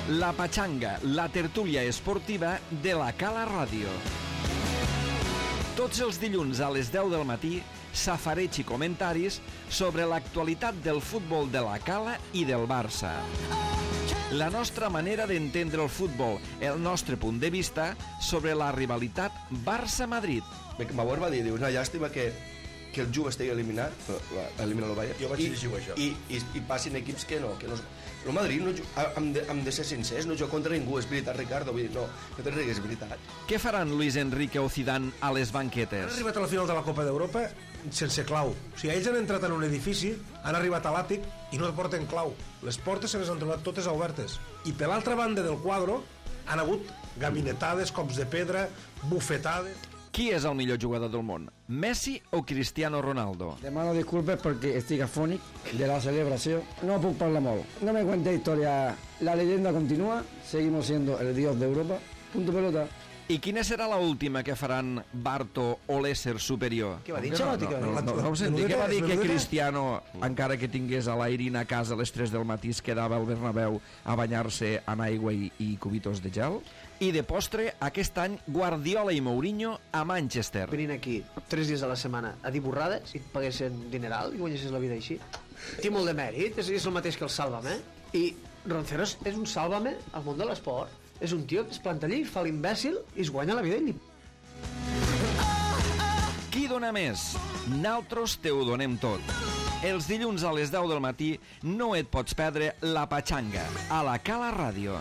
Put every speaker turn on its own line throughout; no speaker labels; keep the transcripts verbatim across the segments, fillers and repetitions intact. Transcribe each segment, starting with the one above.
La Patxanga, la tertúlia esportiva de la Cala Ràdio. Tots els dilluns a les deu del matí, safareig i comentaris sobre l'actualitat del futbol de la Cala i del Barça. La nostra manera d'entendre el futbol, el nostre punt de vista sobre la rivalitat Barça-Madrid.
Beckenbauer va dir, diu, una llàstima que, que el Juve estigui eliminat, elimina el Bayern,
jo vaig dir això.
I, i, i passin equips que no, que no... El Madrid, no, hem, de, hem de ser sincers, no juga contra ningú, és veritat, Ricardo, vull dir, no, no te rigues, és veritat.
Què faran Luis Enrique o Zidane a les
Han
banquetes?
arribat a la final de la Copa d'Europa sense clau. O sigui, ells han entrat en un edifici, han arribat a l'àtic i no porten clau. Les portes se les han trobat totes obertes. I per l'altra banda del quadre han hagut gabinetades, cops de pedra, bufetades...
Qui és el millor jugador del món? Messi o Cristiano Ronaldo?
Demano disculpes perquè estic afònic de la celebració. No puc parlar molt. No me cuente historia. La leyenda continúa. Seguimos siendo el dios de Europa. Punto pelota.
I quina serà la última que faran Barto o l'ésser superior?
Què va dir?
No, no, no, no, no, no ho senti. Què va dir que Cristiano, encara que tingués a l'Airin a casa a les tres del matí, es quedava al Bernabéu a banyar-se en aigua i, i cubitos de gel? I de postre, aquest any, Guardiola i Mourinho a Manchester.
Venint aquí tres dies a la setmana a dir borrades i et paguessin dineral i guanyessis la vida així. Té molt de mèrit, és, és el mateix que el Sálvame. I Ronceros és un Sálvame al món de l'esport. És un tio que es planta allí, fa l'imbècil i es guanya la vida ell.
Qui dona més? Naltros te ho donem tot. Els dilluns a les deu del matí no et pots perdre La Patxanga a la Cala Ràdio.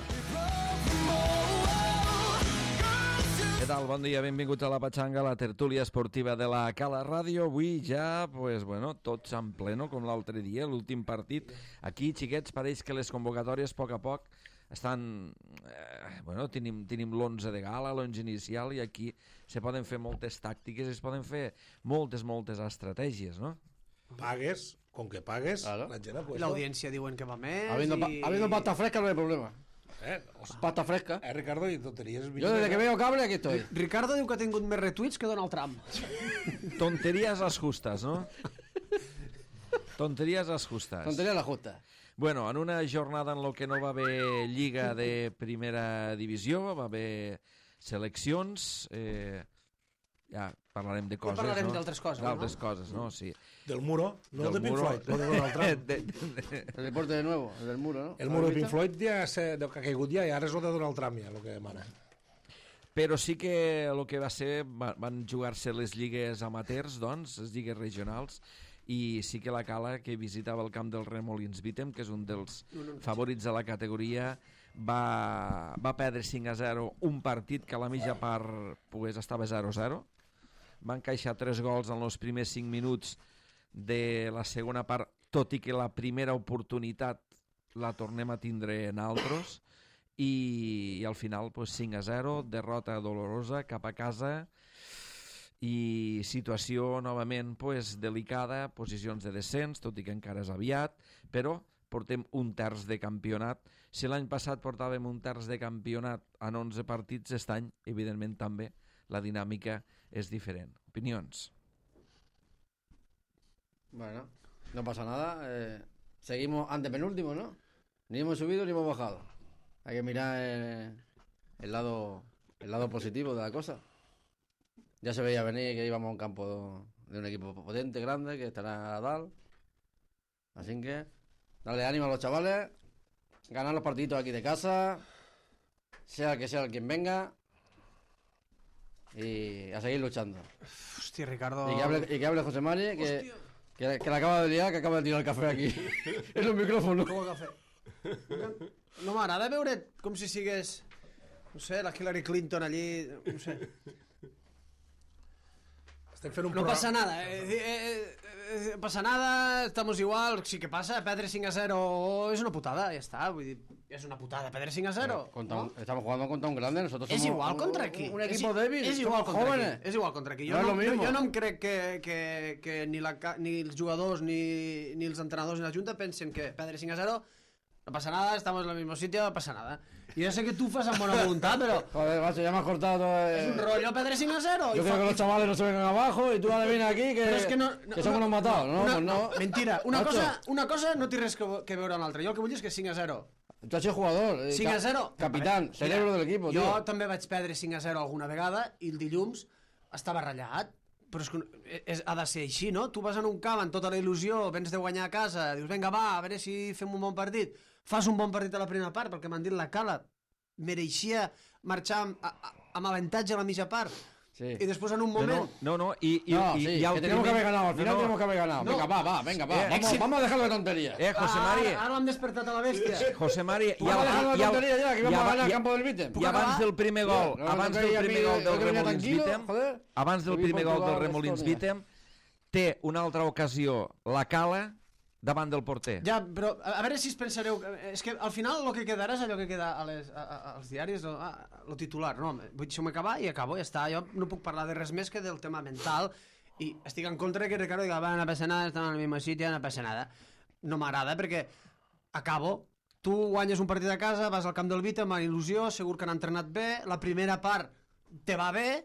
Què tal? Bon dia, benvinguts a La Patxanga, la tertúlia esportiva de la Cala Ràdio. Avui ja, pues, bueno, tots en pleno, com l'altre dia, l'últim partit. Aquí, xiquets, pareix que les convocatòries, a poc a poc, estan... Eh, bueno, tenim, tenim l'onze de gala, l'onze inicial, i aquí se poden fer moltes tàctiques, es poden fer moltes, moltes estratègies, no?
Pagues, con que pagues,
claro.
la gent ha
I
puesto...
l'audiència diuen que va més
Habiendo, pa
i...
habiendo pasta fresca no hay problema.
Eh, os...
Pasta fresca.
eh, Ricardo, i tonteries...
Yo desde que veo cable aquí estoy.
Ricardo diu que ha tingut més retuits que Donald Trump.
Tonterías las justas, no? Tonterías las justas.
Tontería la justa.
Bueno, en una jornada en la que no va haver lliga de primera divisió, va haver seleccions, eh, ja parlarem de coses,
parlarem
no?
d'altres coses,
D'altres
no?
coses, no? Sí.
Del muro, no
Del
el de Pink
muro.
Floyd, no de Donald Trump.
De- de-
El deporte de nuevo, el del muro, ¿no?
El muro de Pink Floyd ja se, que ha caigut ja, i ara és el de Donald Trump, ja, el que demana.
Però sí que el que va ser, va- van jugar-se les lligues amateurs, doncs, les lligues regionals, i sí que la Cala, que visitava el camp del Remolins Vitem, que és un dels favorits de la categoria, va, va perdre cinc a zero un partit que a la mitja part pues, estava zero a zero. Va encaixar tres gols en els primers cinc minuts de la segona part, tot i que la primera oportunitat la tornem a tindre en altres, i, i al final pues, cinc a zero, derrota dolorosa cap a casa, i situació novament pues, delicada, posicions de descens, tot i que encara és aviat, però portem un terç de campionat. Si l'any passat portàvem un terç de campionat en onze partits, aquest any, evidentment també, la dinàmica és diferent. Opinions?
Bueno, no pasa nada. Eh, seguimos antepenúltimo, ¿no? Ni hemos subido ni hemos bajado. Hay que mirar el, el lado el lado positivo de la cosa. Ya se veía venir que íbamos a un campo de un equipo potente, grande, que estará a dar. Así que darle ánimo a los chavales, ganar los partiditos aquí de casa, sea el que sea el quien venga, y a seguir luchando.
Hòstia, Ricardo...
Y que hable, y que hable José Mari, que, que, que la acaba de liar, que acaba de tirar el café aquí. Es un micrófono.
Com el cafè. No m'agrada veure't com si sigués, no sé, la Hillary Clinton allí, no sé.
Estem fent un
No
programa...
pasa nada, eh, eh, eh, eh, pasa nada, estamos igual, sí que pasa, perdre cinc a zero es una putada, ya está, vull dir, és una putada, perdre cinc a zero.
Contra un-
¿no?
estamos jugando contra un grande, nosotros
És
somos
igual
un,
contra aquí.
un, un equipo
és,
débil,
és igual
somos
contra
jóvenes.
aquí. És igual contra aquí. Jo
No
no,
és lo
no,
mismo.
jo no em crec que, que, que ni, la, ca- ni els jugadors ni, ni els entrenadors ni la Junta pensen que perdre cinc a zero no pasa nada, estamos en el mismo sitio, no pasa nada. Y yo sé que tú fas amb bona voluntat, però
Joder, macho, ya me has cortado todo.
és
Eh.
un rollo perdre cinc a zero.
Yo
I
creo
fa-
que los chavales no se vengan abajo y tú ahora vienes aquí que,
Però és que, no, no,
que somos
no,
los matados, ¿no?
Una,
Pues no.
Mentira, una
Macho.
cosa, una cosa no té res que, que veure amb l'altra. Jo el que vull dir és que cinc a zero
Tu has sido jugador. Eh,
cinc a zero.
Capitán, cerebro del equipo,
jo
tío.
també vaig perdre cinc a zero alguna vegada i el dilluns estava ratllat. Però és que és, ha de ser així, no? Tu vas en un camp amb tota la il·lusió, vens de guanyar a casa, dius, vinga, va, a veure si fem un bon partit. Fas un bon partit a la primera part, perquè m'han dit la Cala mereixia marxar amb, a, amb avantatge a la mitja part.
Sí.
I després en un moment...
No, no, no y, y,
No,
y,
sí,
y al
que tenemos que
primer-
haber ganado, al final
no, no.
tenemos que haber ganado.
No.
Venga, va, va, venga, va.
Eh,
vamos,
èxit.
vamos a dejar la tontería.
Eh, José Mari,
Ara, ara l'hem despertat a la bèstia.
José Mari, y,
Vamos a dejar la
y,
tontería ya, que vamos a
aba-
ganar el
y-
campo del Vítem.
i abans del primer gol,
No, no,
abans
no,
del
no,
primer
no,
gol
no,
del
no, no,
Remolins
tranquilo,
Vítém,
joder.
abans del
Avui
primer gol
Portugal,
del Remolins
Estònia.
Vítém, té una altra ocasió la Cala davant del porter.
Ja, però a, a veure si es pensareu... És que al final el que quedarà és allò que queda a les, a, a, als diaris, el, a, el titular. No, vull deixar-me acabar i acabo, ja està. Jo no puc parlar de res més que del tema mental i estic en contra que Ricardo diga, va, no passa nada, estan al mismo sitio, no passa nada. No m'agrada perquè acabo, tu guanyes un partit a casa, vas al camp del Vita amb il·lusió, segur que han entrenat bé, la primera part te va bé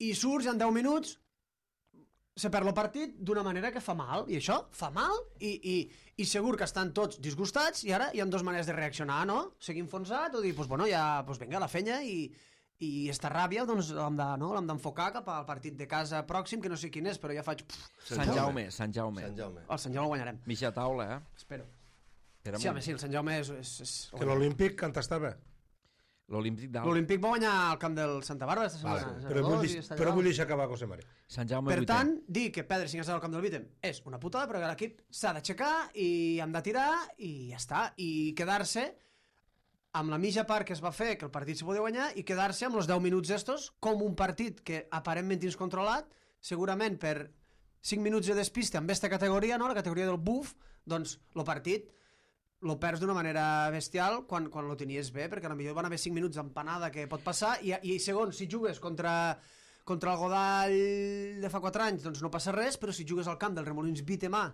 i surts, en deu minuts se perd el partit d'una manera que fa mal, i això fa mal, i, i, i segur que estan tots disgustats, i ara hi ha dues maneres de reaccionar, no? Seguir enfonsat o dir, pues, bueno, ja, pues, vinga, la fenya, i, i esta ràbia doncs, l'hem de, no? l'hem d'enfocar cap al partit de casa pròxim, que no sé quin és, però ja faig... Pff,
Sant Jaume, Sant Jaume.
Sant Jaume.
el Sant Jaume el guanyarem,
Mitja taula, eh?
espero.
Espera
Sí, home, sí, el Sant Jaume és... és, és...
Que l'Olímpic canta estava.
L'Olímpic d'Alt.
L'Olímpic va guanyar al camp del Santa Bàrbara esta setmana.
Vale.
zero
Però,
dos,
vull,
i
deix-
està
però
allà
vull
dalt.
deixar acabar José Mari.
Sant Jaume
Per
vuitè.
tant, dir que perdre cinc a zero al camp del Vítem és una putada, però que l'equip s'ha d'aixecar i hem de tirar i ja està. I quedar-se amb la mitja part que es va fer, que el partit se podia guanyar, i quedar-se amb els deu minuts estos com un partit que aparentment tens controlat, segurament per cinc minuts de despiste amb aquesta categoria, no? La categoria del buf, doncs el partit lo perds d'una manera bestial quan, quan lo tenies bé, perquè potser van haver cinc minuts d'empanada que pot passar, i, i segon, si jugues contra, contra el Godall de fa quatre anys, doncs no passa res, però si jugues al camp del Remolins Vitemà,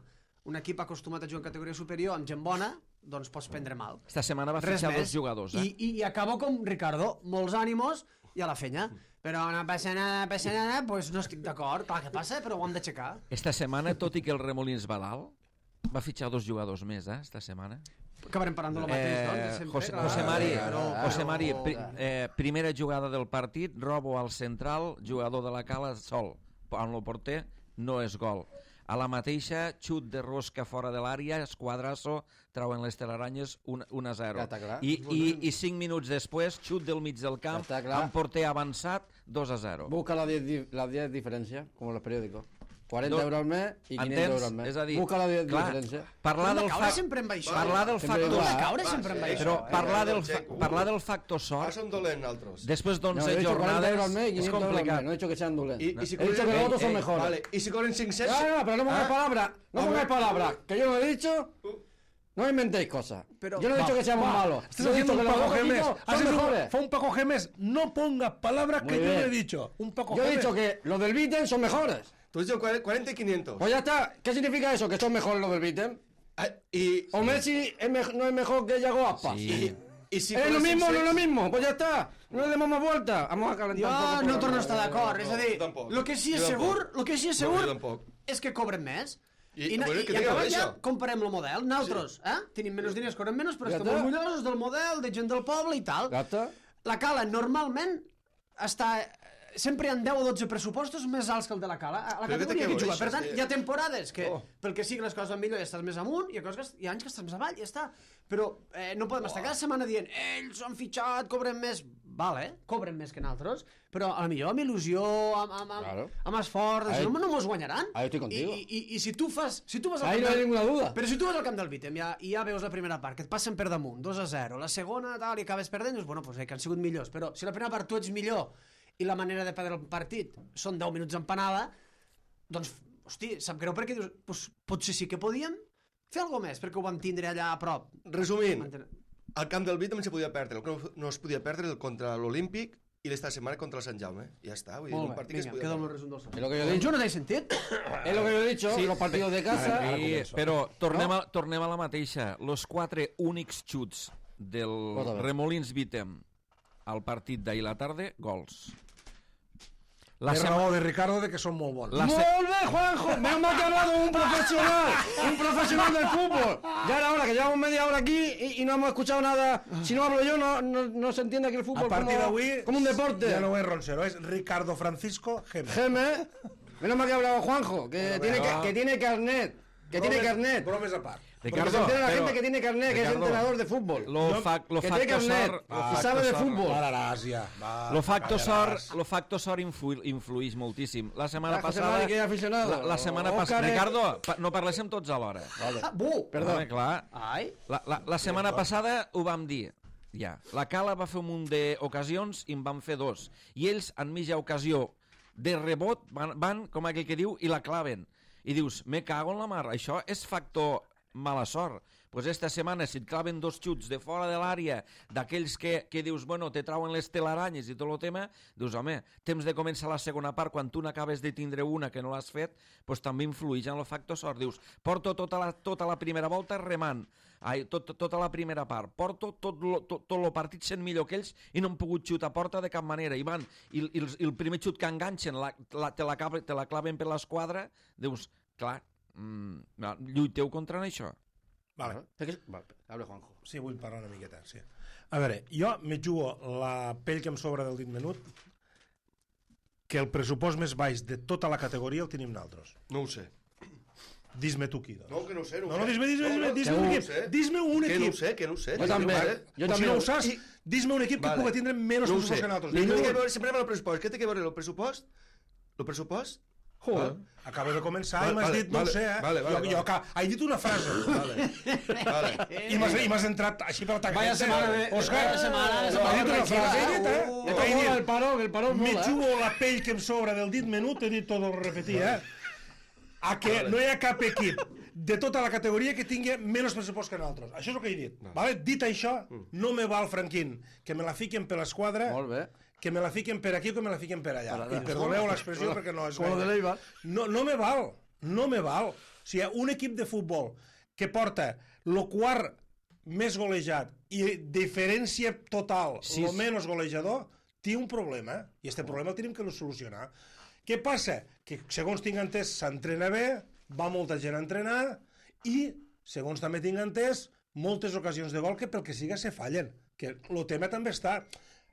un equip acostumat a jugar en categoria superior amb gent bona, doncs pots prendre mal.
Esta setmana va
Res
fitxar
més.
dos jugadors, eh?
I, i, I acabo com Ricardo, molts ànimos i a la fenya. Però no passa nada, no passa nada, doncs no estic d'acord, clar que passa, però ho hem d'aixecar.
Esta setmana, tot i que el Remolins va dalt, va fitxar dos jugadors més, eh? Esta setmana.
Acabarem parlant de lo mateix, doncs, de
Eh,
sempre.
José,
clar.
José Mari,
Però-
José Mari
però-
pri, eh, primera jugada del partit, robo al central, jugador de la Cala sol, amb el porter no és gol. A la mateixa, xut de rosca fora de l'àrea, esquadrasso, trauen les telaranyes un a zero.
Ja està clar.
I, i, I cinc minuts després, xut del mig del camp,
Ja està clar.
amb porter avançat, dos a zero.
Busca la diez, di- la diez diferencia, como los periódicos. cuarenta
No.
euros al mes y quinientos
Entens?
euros al mes.
És a dir,
Busca la diez
clar,
diferencia.
parlar
Hem de
del
caure
fac...
sempre amb això.
Parlar del
Sempre
factor...
Hem de
igual.
caure sempre amb
Va,
això.
Però
eh?
parlar del,
Checo.
fa... parlar del factor
Ara
sort,
som dolents, altres.
després
No,
d'onze
he dicho cuarenta euros al
jornades,
mes y
és
quinientos euros al mes.
complicat.
No he dicho que sean dolentes.
I, i si
He dicho que los
Ey,
otros son
ey,
mejores.
Vale, y si corren cinc cents...
No, no, pero no pongáis
¿Ah?
palabras. No
A
pongáis
ver.
palabras. Que yo no he dicho. No inventéis cosas.
Pero-
Yo no he dicho
Va,
que seamos
va,
malos.
Estás
Yo he
haciendo
dicho
un
que los
Paco
dos
Gemes.
equipos
Has
son
hecho un-
mejores.
Fue un Paco Gemes. No pongas palabras
Muy
que yo no
bien.
he dicho. Un Paco
Yo he
Gemes.
dicho que los del Vítem son mejores.
Tú has dicho cuarenta y quinientos.
Pues ya está. ¿Qué significa eso? Que son mejores los del Vítem.
Ah, y,
O Messi es mej- no es mejor que Yago Aspas.
y, y si
¿Es lo
corren
mismo o no es lo
cinc cents...
mismo? Pues ya está. No le demos más vuelta. Vamos a calentar un poco.
Jo
el
no
programa.
torno a estar d'acord, és a dir,
jo tampoc.
el que sí és
Jo
segur,
tampoc.
el que sí és
No,
segur
jo tampoc.
és que cobren més.
I-
I, na-
bueno,
i,
que
i
tinga
acabat ja
això.
comparem el model. Nosaltres, eh? Tenim menys diners, cobren menys, però
Ja
estem
està.
orgullosos del model, de gent del poble i tal.
Ja està.
La Cala normalment està... Sempre hi ha deu o dotze pressupostos més alts que el de la Cala. A la
Però què
categoria
te
que juga.
queixes,
Per tant,
eh?
hi ha temporades que,
Oh.
pel que sigui les coses van millor, i estàs més amunt, i hi ha, coses que, hi ha anys que estàs més avall, i ja està. Però eh, no podem estar cada setmana dient ells han fitxat, cobren més. Vale, cobren més que nosaltres, però a la millor amb il·lusió, amb, amb, amb,
Claro.
amb esforç,
Ahí-
no, no mos guanyaran.
ahí estoy contigo.
I, i, i si tu fas... Si tu vas al
Ahí
camp
no hay
del-
ninguna duda.
Però si tu vas al camp del Vítem i ja, i ja veus la primera part, que et passen per damunt, dos a zero, la segona, tal, i acabes perdent, dius, bueno, pues, eh, que han sigut millors. Però si la primera part tu ets millor i la manera de perdre el partit són deu minuts empanada, doncs, hosti, sap greu perquè dius, pues, potser sí que podíem fer alguna més, perquè ho vam tindre allà a prop.
Resumint,
Manten-
al camp del Vítem se podia perdre, el que no- no es podia perdre el contra l'Olímpic i l'esta setmana contra el Sant Jaume. Ja està, vull dir,
Molt
un
bé,
partit que es
vinga,
podia
queda el meu
perdre.
resum del
Es lo que yo he dicho.
Jo no t'he sentit?
Es lo que yo he dicho. Los partidos de casa.
Sí, però tornem a, tornem a la mateixa. Los quatre únics xuts del
Cosa bé.
Remolins Vítém al partit d'ahir la tarda, gols. La
és
sema-
raó de Ricardo de que són molt bons.
La se-
¡Molt bé, Juanjo! Me han hablado un profesional, un profesional del fútbol. Ya era hora, que llevamos media hora aquí y, y no hemos escuchado nada. Si no hablo yo, no, no, no se entiende que el fútbol
A partir
como,
d'avui...
como un deporte.
Ja no és Roncero, és Ricardo Francisco Geme.
Geme, menos mal que ha hablado Juanjo, que,
Bueno,
tiene,
venga.
que, que tiene carnet. Que tiene
Bromes-
carnet.
Bromes a part.
Porque
Ricardo,
se entera la
pero-
gente que tiene carnet, que es
Ricardo,
entrenador de fútbol.
Lo, fa, lo
que
facto
tiene carnet
sort... Lo
y
facto
sabe de
sort-
fútbol.
Pararàs ja. Va,
Lo facto
callaràs.
sort, lo facto sort influ, influïx moltíssim. La setmana
Ah, José
passada...
Mari, que hi ha aficionado.
La, la setmana
Òscar,
passada...
eh.
Ricardo, pa, no parléssim tots alhora.
Ah, bu!
Perdó.
Home, clar.
Ai,
La, la, la setmana passada ho vam dir. Ja. La Cala va fer un munt d'ocasions i en van fer dos. I ells, en mitja ocasió de rebot, van, van, com aquell que diu, i la claven. I dius, me cago en la mar. Això és factor mala sort. Pues esta setmana, si et claven dos xuts de fora de l'àrea, d'aquells que, que dius, bueno, te trauen les telaranyes i tot el tema, dius, home, temps de començar la segona part, quan tu n'acabes de tindre una que no l'has fet, pues també influeix en el factor sort. Dius, porto tota la, tota la primera volta remant, ai, tot, tota la primera part, porto tot lo, tot, tot el partit sent millor que ells i no han pogut xutar a porta de cap manera. I van, i, i, el, i el primer xut que enganxen, la, la, te, la, te la claven per l'esquadra, dius, clar, mm, lluiteu contra això.
Vale.
Vale, hable Juanjo.
Sí, vull parlar una miqueta, sí. A veure, jo me jugo la pell que em sobra del dit menut que el pressupost més baix de tota la categoria el tenim nosaltres.
No ho sé.
Dis-me tu qui, doncs.
No, que no ho sé. No,
No, no, dis-me, dis-me, dis-me, dis-me un
no ho
equip.
sé.
Dis-me un
Que no
equip.
ho sé, que no ho sé.
Jo també.
Vale.
Jo
O si
també.
no ho saps,
I-
dis-me un equip que
Vale.
pugui tindre menys
No ho
pressupost
sé.
que nosaltres.
Ni
Dis-me
que
un.
veure, sempre amb el pressupost. Què té que veure el pressupost? El pressupost?
Joder, acabo de començar
Vale,
i m'has
vale,
dit, no
vale,
ho sé, eh?
vale, vale,
jo, jo,
vale.
ca- he dit una frase.
Vale. Vale.
I m'has, i m'has entrat així per atacar.
Vaya setmana de-
Òscar,
vaya setmana de
no, he dit una
setmana
frase, he dit, eh?
Esto
He
mola
dit,
el parón, el parón
me
mola.
jugo la pell que em sobra del dit menut, he dit tot el repetir, eh? A que no hi ha cap equip de tota la categoria que tingui menys pressupost que nosaltres. Això és el que he dit. Vale? Dit això, no me val, Franquín, que me la fiquen per l'esquadra,
Molt bé.
que me la fiquen per aquí o que me la fiquen per allà.
Para-
I perdoneu l'expressió perquè no és
Com lo de
gaire.
l'Eibar.
No, no me val, no me val. O sigui, un equip de futbol que porta el quart més golejat i diferència total,
Sí.
el menys golejador, té un problema, i aquest problema el tenim que solucionar. Què passa? Que, segons tinc entès, s'entrena bé, va molta gent a entrenar, i, segons també tinc entès, moltes ocasions de gol que pel que siga se fallen. Que el tema també està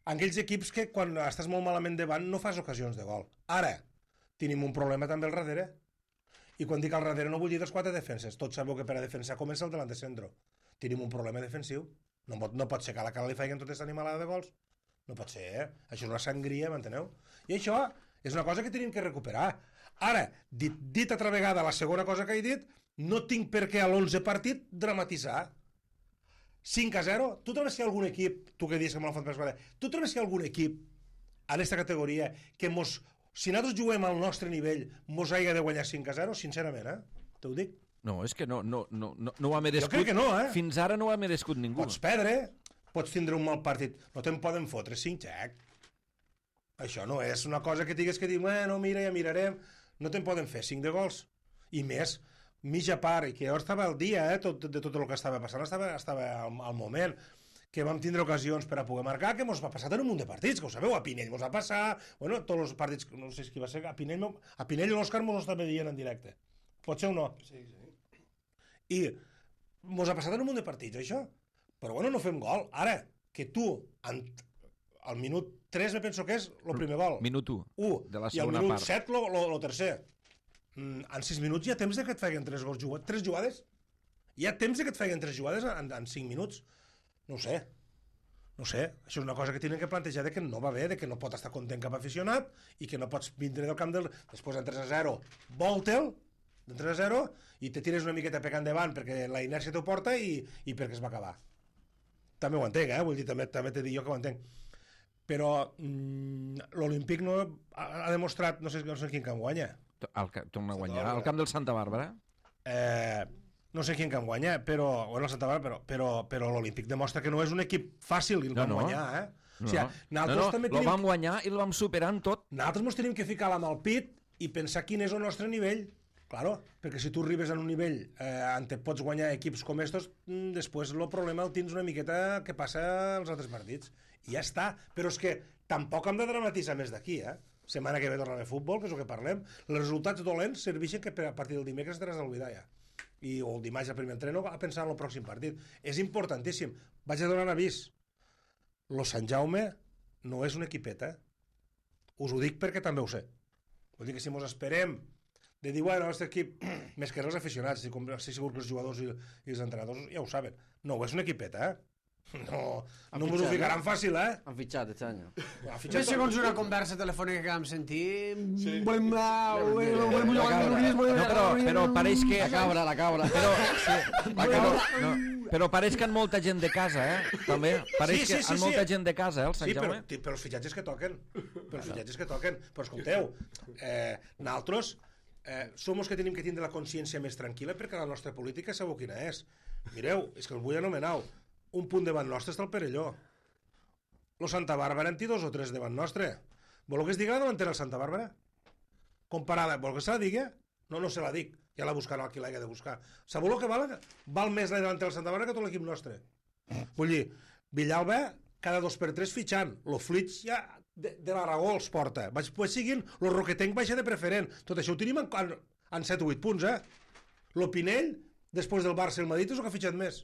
en aquells equips que quan estàs molt malament davant no fas ocasions de gol. Ara, tenim un problema també al darrere. I quan dic al darrere no vull dir dels quatre defenses. Tots sabeu que per a defensar comença el delant de centro. Tenim un problema defensiu. No pot, no pot ser que a la cara li faiguen tota aquesta animalada de gols. No pot ser, eh? Això és una sangria, m'enteneu? I això és una cosa que tenim que recuperar. Ara, dit, dit altra vegada la segona cosa que he dit, no tinc per què a l'onze partit dramatitzar. cinc a zero, tu trobes que hi ha algun equip, tu que dius que me l'han fet per esquadra, tu trobes que hi ha algun equip en aquesta categoria que mos, si nosaltres juguem al nostre nivell, mos hagi de guanyar cinc a zero? Sincerament, eh? Te ho dic.
No, és que no, no, no, no, no ho ha
Jo
merescut.
crec que no, eh?
Fins ara no ho ha merescut ningú.
Pots perdre, pots tindre un mal partit, no te'n poden fotre cinc, xec. Això no és una cosa que digues que dius, bueno, mira, ja mirarem. No te'n poden fer cinc de gols. I més, mitja part, i que jo estava al dia, eh, tot, de tot el que estava passant, estava, estava al, al moment, que vam tindre ocasions per a poder marcar, que mos va passar en un munt de partits, que ho sabeu, a Pinell mos va passar, bueno, tots els partits, no sé qui va ser, a Pinell, a Pinell i l'Òscar mos ho estava dient en directe. Pot ser o no?
Sí, sí.
I mos ha passat en un munt de partits, això. Però bueno, no fem gol. Ara, que tu, en, al minut tres me penso que és el primer gol.
Minut u.
u,
de la
i al
segona
minut
part.
set el tercer. Mm, en sis minuts hi ha temps de que et feien tres gols jugats. Tres jugades? Hi ha temps de que et feien tres jugades en, en cinc minuts? No ho sé. No ho sé. Això és una cosa que tenen que plantejar de que no va bé, de que no pot estar content cap aficionat i que no pots vindre del camp del... Després en tres a zero, volte'l, de tres a zero, i te tires una miqueta pecant endavant perquè la inèrcia t'ho porta i, i perquè es va acabar. També ho entenc, eh? Vull dir, també, també t'he dit jo que ho entenc. Però mm, l'Olímpic no ha, ha demostrat, no sé, no sé quin camp guanya.
El, torna a guanyar. Al camp del Santa Bàrbara.
Eh, no sé quin camp guanya, però, bueno, el Santa Bàrbara, però, però, però l'Olímpic demostra que no és un equip fàcil i el
No,
vam
no.
guanyar, eh?
No,
O sigui,
no,
nosaltres
no,
també
el
tenim...
vam guanyar i el vam superar en tot.
Nosaltres ens tenim que ficar la mà al pit i pensar quin és el nostre nivell. Claro, perquè si tu arribes a un nivell eh, on te pots guanyar equips com estos, mm, després el problema el tens una miqueta que passa als altres partits. I ja està. Però és que tampoc hem de dramatitzar més d'aquí, eh? setmana que ve torna a haver futbol, que és el que parlem. Els resultats dolents serveixen que a partir del dimecres te n'has d'oblidar ja. I, o el dimarts al primer entreno a pensar en el pròxim partit. És importantíssim. Vaig a donar avís. Lo Sant Jaume no és un equipet, eh? Us ho dic perquè també ho sé. Vull dir que si mos esperem de dir, bueno, el nostre equip, més que els aficionats, si, si segur que els jugadors i, i els entrenadors ja ho saben. No, és un equipet, eh? No, no m'ho ficaran fàcil, eh?
Han fitxat aquest any.
Bé, segons una conversa telefònica que vam sentir... Sí. Volem... Volem
no, però, però pareix que...
La cabra, la cabra.
Però, sí, la cabra, no, però pareix que han molta gent de casa, eh? També. Pareix sí, sí, que sí, han sí, molta sí. gent de casa, eh, el Sant
sí,
Jaume.
Sí, però, però els fitxatges que toquen. Però els fitxatges que toquen. Però escolteu, eh, nosaltres eh, som els que tenim que tindre la consciència més tranquil·la perquè la nostra política sabeu quina és. Mireu, és que el vull anomenar un punt davant nostre està el Perelló. Lo Santa Bàrbara en té dos o tres davant nostre. Voleu que es digui la davantera el Santa Bàrbara? Comparada, voleu que se la digui? No, no se la dic. Ja la buscarà qui l'hagi de buscar. Sabeu el que val? Val més la davantera del Santa Bàrbara que tot l'equip nostre. Vull dir, Villalba cada dos per tres fitxant. Lo Flix ja de, de l'Aragó els porta. Vaig, pues siguin, lo Roquetenc baixa de preferent. Tot això ho tenim en, en, en set o vuit punts, eh? Lo Pinell, després del Barça i el Madrid, és el que ha fitxat més.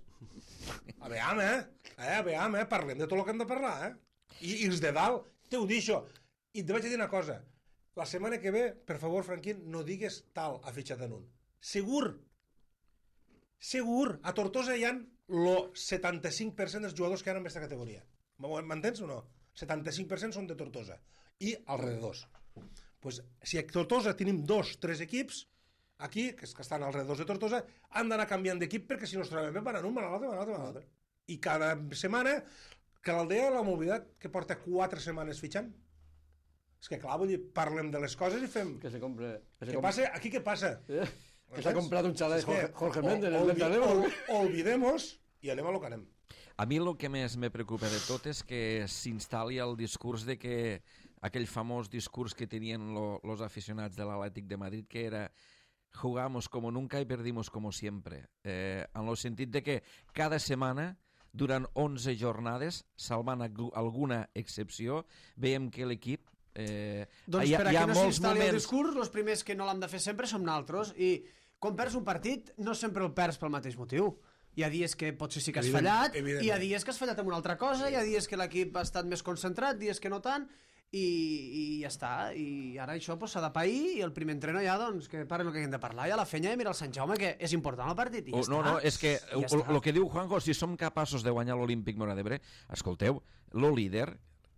A veure, eh? eh? A veure, eh? Parlem de tot el que hem de parlar, eh? I, i els de dalt, te ho deixo. I et vaig dir una cosa. La setmana que ve, per favor, Franquín, no digues tal ha fitxat en un. Segur. Segur. A Tortosa hi ha el setanta-cinc per cent dels jugadors que hi ha en aquesta categoria. M'entens o no? setanta-cinc per cent són de Tortosa. I alrededors. Pues, si a Tortosa tenim dos, tres equips, aquí, que estan alrededors de Tortosa, han d'anar canviant d'equip perquè si no es troben bé van a un, van a l'altre, van a l'altre, van a l'altre. I cada setmana, que l'Aldea, la mobilitat, que porta quatre setmanes fitxant, és que clar, vull dir, parlem de les coses i fem...
Que se compre... Que se
què
compre...
passa? Aquí què passa?
Eh? Que s'ha comprat un xalet Jorge, Jorge Méndez en el
Ventadero. Olvidemos i anem a lo que anem.
A mi el que més me preocupa de tot és que s'instal·li el discurs de que aquell famós discurs que tenien lo, los aficionats de l'Atlètic de Madrid, que era jugamos como nunca y perdimos como siempre. Eh, en el sentit de que cada setmana, durant onze jornades, salvant alguna excepció, veiem que l'equip Eh,
doncs hi ha, per aquí no s'instal·li el discurs, els primers que no l'hem de fer sempre som nosaltres, i quan perds un partit no sempre el perds pel mateix motiu. Hi ha dies que potser sí que has Evident, fallat, evidentment. Hi ha dies que has fallat amb una altra cosa, hi ha dies que l'equip ha estat més concentrat, dies que no tant, i, i ja està. I ara això s'ha pues, de pair, i el primer entreno ja, doncs, que parlen el que hem de parlar, i a la fenya mira el Sant Jaume, que és important el partit, i ja
oh,
està.
No, no, és que el ja que diu Juanjo, si som capaços de guanyar l'Olímpic Móra d'Ebre, escolteu, lo líder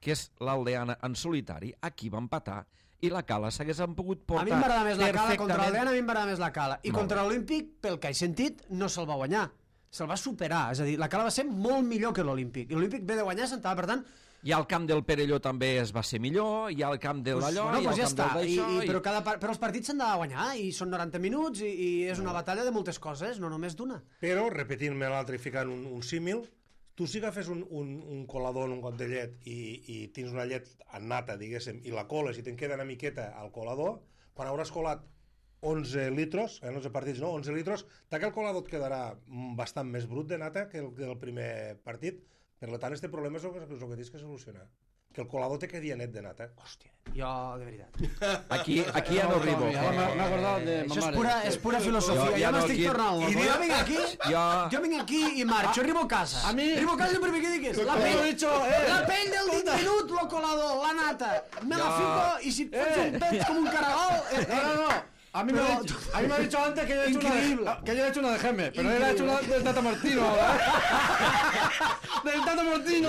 que és l'Aldeana en solitari, aquí va empatar, i la Cala s'hagués pogut portar...
A mi m'agrada més la Cala, contra l'Aldeana a mi m'agrada més la Cala, i contra l'Olímpic, pel que he sentit, no se'l va guanyar, se'l va superar, és a dir, la Cala va ser molt millor que l'Olímpic, i l'Olímpic ve de guanyar s'entava, per tant...
I al camp del Perelló també es va ser millor, i al camp de l'Allò,
pues, bueno,
i
pues
al
ja
camp del d'això...
I, i, però, cada, però els partits s'han de guanyar, i són noranta minuts, i, i és una batalla de moltes coses, no només d'una.
Però, repetint-me l'altre i ficant un, un símil, tu si agafes un, un, un colador en un got de llet i, i tens una llet en nata, diguéssim, i la coles i te'n queda una miqueta al colador, quan hauràs colat onze litros, en onze partits no, onze litros, d'aquell colador et quedarà bastant més brut de nata que el, que el primer partit. Per tant, este problema és el que, és el que tens que solucionar. Que el colador te quedi net de nata.
Hòstia, jo, de veritat.
Aquí, aquí ja no arribo.
M'ha acordat de ma
Això és
mare.
pura, és pura filosofia. Jo, ja no m'estic tornant. I jo vinc aquí,
jo...
jo vinc aquí i marxo, arribo a casa.
A mi...
Arribo a casa i el primer que dic és la pell, la pell del dit minut, lo colador, la nata. Me la fico i si et fots un pet com un caragol...
No, no, no. A mí, pero, me, dicho, a mí me ha dicho antes que yo he hecho
increíble.
una de, que yo he hecho una de Geme, pero él ha hecho una del Tata Martino. Del Tata Martino.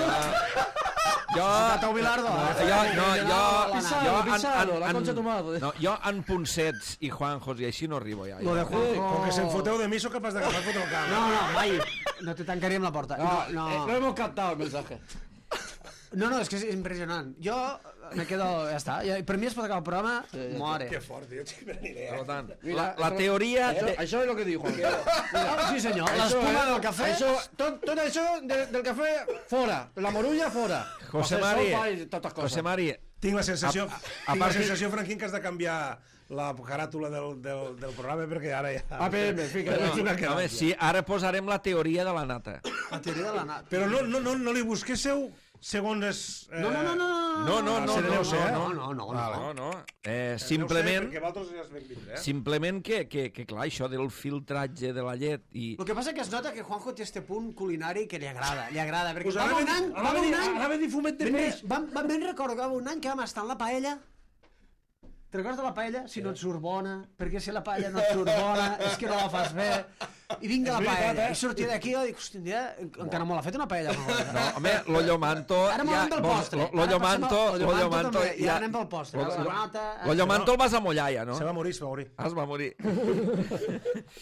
Jo...
Tata Bilardo.
Jo, no, jo...
Pisado, pisado, la concha de tu madre.
No, jo en Ponsets i Juanjos i així no arribo ja.
Lo de Juanjo...
Com que se'n foteu de mi, sóc capaç d'agafar fotre el camp.
No, no, mai. No te tancaríem la porta.
No,
no.
Eh, no hemos captado el mensaje.
No, no, és que és impressionant. Jo me quedo... Ja està. Ja, per mi es pot acabar el programa... Sí, ja more.
Que fort, tio. Tinc ni idea.
Per tant, la, la teoria...
Això,
de...
això és el que diu Juan.
Ah, sí, senyor. L'espuma del cafè...
Això, tot, tot això de, del cafè, fora. La morulla, fora.
José Mari, José Mari...
Tinc la sensació, a, a, tinc la sensació, Franquín, que has de canviar la caràtula del, del, del programa perquè ara ja...
A P M, fica.
No, no, home, sí, ara posarem la teoria de la nata.
La teoria de la nata.
Però no, no, no, no li busquéssiu segons és... Eh...
No, no, no, no,
No, no, no,
Seré
no,
Neus, eh?
no,
no, no,
Vale.
no, no. Eh,
Simplement...
simplement,
Perquè vosaltres ja es ben vindre, eh?
simplement que, que, que, clar, això del filtratge de la llet i...
El que passa que es nota que Juanjo té este punt culinari que li agrada, li agrada, perquè
Pues
va
anava
un
a
any,
dir-
va
anava a
un
dir-
any...
anava a dir fumet de
Ben-
peix.
Vam, vam ben recordar que va un any que vam estar en la paella. Te'n recordes de la paella? Si no et surt bona, perquè si la paella no et surt bona, és que no la fas bé. I vinga la
És veritat,
paella.
eh?
I sortia d'aquí i dic, hòstia, un dia encara me l'ha fet una paella.
No, home, l'ollo manto...
Ara m'anem pel postre.
L'ollo
Ara passem
manto...
al- l'ollo
L'ollo
manto
manto...
també, i ara anem pel postre.
L'ollo-
La granota, eh,
L'ollo
se
manto el vas a mullar, ja, no?
Se va morir, se va morir.
Ah, es va morir.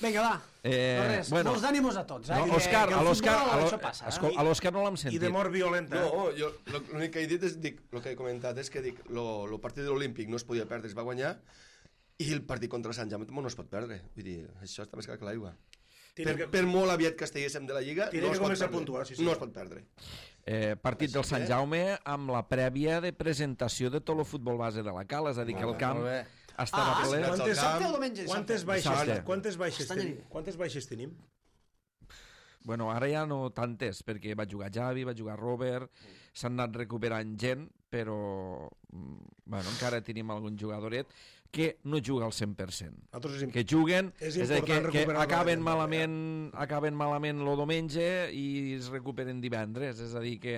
Vinga, va.
Eh,
no res,
bueno.
molts d'ànimos a tots. Eh?
No,
Que-
Òscar,
que
a
el
l'Òscar...
futbol,
a l'Ò-
això passa, eh?
escol- A l'Òscar no l'hem sentit.
I de mort violenta, eh?
No, jo lo- l'únic que he dit és, dic, el que he comentat és que dic, lo, lo partit de l'Olímpic no es podia perdre, es va guanyar, i el partit contra Sant Jaume no es pot perdre. Vull dir, això està més clar que l'aigua. Per,
que...
per molt aviat que estiguéssim de la Lliga,
Tiene
no
que
es pot
començar a
perdre.
puntuar, sí, sí.
No es pot perdre.
Eh, partit del Sant
que-
Jaume amb la prèvia de presentació de tot el futbol base de la Cala, és a dir, que el camp
molt bé.
estava
Ah,
ple.
sí,
Quantes,
Dissabte o diumenge?
quantes
Dissabte.
baixes,
Dissabte.
quantes baixes,
Castanya
tenim?
nit.
Quantes baixes tenim?
Bueno, ara ja no tantes, perquè va jugar Javi, va jugar Robert, s'han anat recuperant gent, però mm, bueno, encara tenim algun jugadoret que no juga al cent per cent.
Nosaltres és
Que juguen,
És
és, a dir, que,
important
que
recuperar la
acaben
gent,
malament, acaben malament el diumenge i es recuperen divendres, és a dir, que